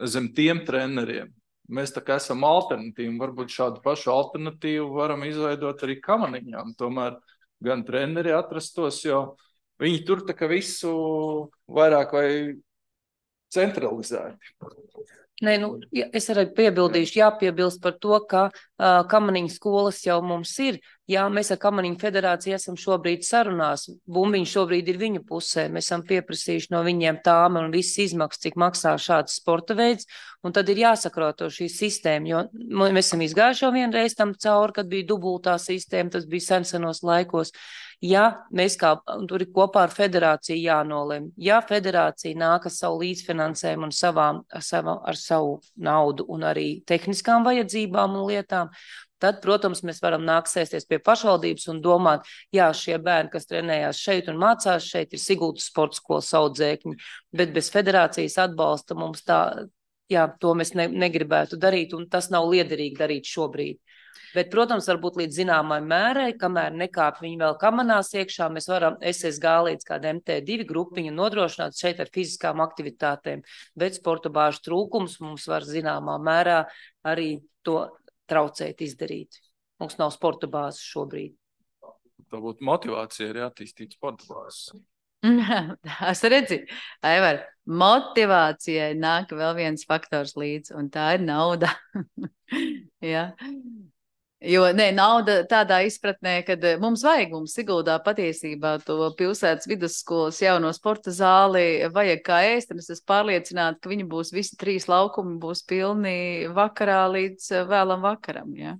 zem tiem treneriem. Mēs tā kā esam alternatīvi, varbūt šādu pašu alternatīvu varam izveidot arī kamaniņām. Tomēr gan treneri atrastos, jo viņi tur tā kā visu vairāk vai centralizēti. Nē, nu, es arī piebildīšu, jāpiebilst par to, ka uh, kamaniņu skolas jau mums ir. Jā, mēs ar Kamaniņu federāciju esam šobrīd sarunās. Bumbiņš šobrīd ir viņu pusē. Mēs esam pieprasījuši no viņiem tām un visas izmaksas, cik maksā šāds sporta veids. Un tad ir jāsakrāto šī sistēma, jo mēs esam izgājuši jau vienreiz tam cauri, kad bija dubultā sistēma, tas bija sensenos laikos. Ja mēs kā, tur ir kopā ar federāciju jānolem, ja federācija nāk ar savu līdzfinansējumu un savām, ar, savu, ar savu naudu un arī tehniskām vajadzībām un lietām, tad, protams, mēs varam nākt sēsties pie pašvaldības un domāt, jā, šie bērni, kas trenējās šeit un mācās šeit, ir Sigultas sporta skolas audzēkņi, bet bez federācijas atbalsta mums tā, jā, to mēs ne, negribētu darīt, un tas nav liederīgi darīt šobrīd. Bet, protams, varbūt līdz zināmai mērai, kamēr nekāp viņi vēl kamanās iekšā, mēs varam S S G līdz kāda M T divi grupiņu nodrošināt šeit ar fiziskām aktivitātēm, bet sporta bāžu trūkums mums var zināmā mērā arī to traucēt izdarīt. Mums nav sporta bāzes šobrīd. Tā būtu motivācija arī attīstīt sporta bāzes. Es redzu, Aivar, motivācijai nāk vēl viens faktors līdz, un tā ir nauda. Ja. Jo, nē, nauda tādā izpratnē, kad mums vajag, mums Siguldā patiesībā to pilsētas vidusskolas jauno sporta zāli vajag kā ēst, un es esmu pārliecināta, ka viņi būs visi trīs laukumi, būs pilni vakarā līdz vēlam vakaram, ja.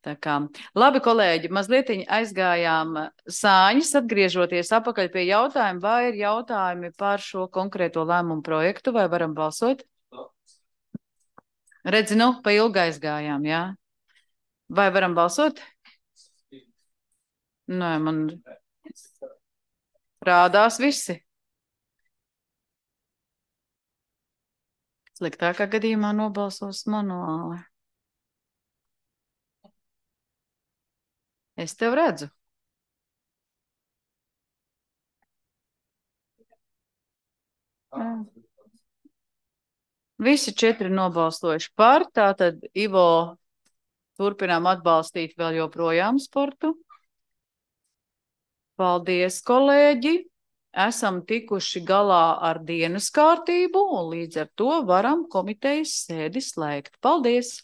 Tā kā, labi, kolēģi, mazliet aizgājām sāņas, atgriežoties apakaļ pie jautājuma, vai ir jautājumi par šo konkrēto lēmumu projektu, vai varam balsot? Redzi, nu, pa ilgi aizgājām, jā. Vai varam balsot? Nē, man rādās visi. Sliktākā gadījumā nobalsos manuāli. Es tev redzu. Jā. Visi četri nobalstojuši par, tātad Ivo turpinām atbalstīt vēl joprojām sportu. Paldies, kolēģi! Esam tikuši galā ar dienas kārtību un līdz ar to varam komitejas sēdi slēgt. Paldies!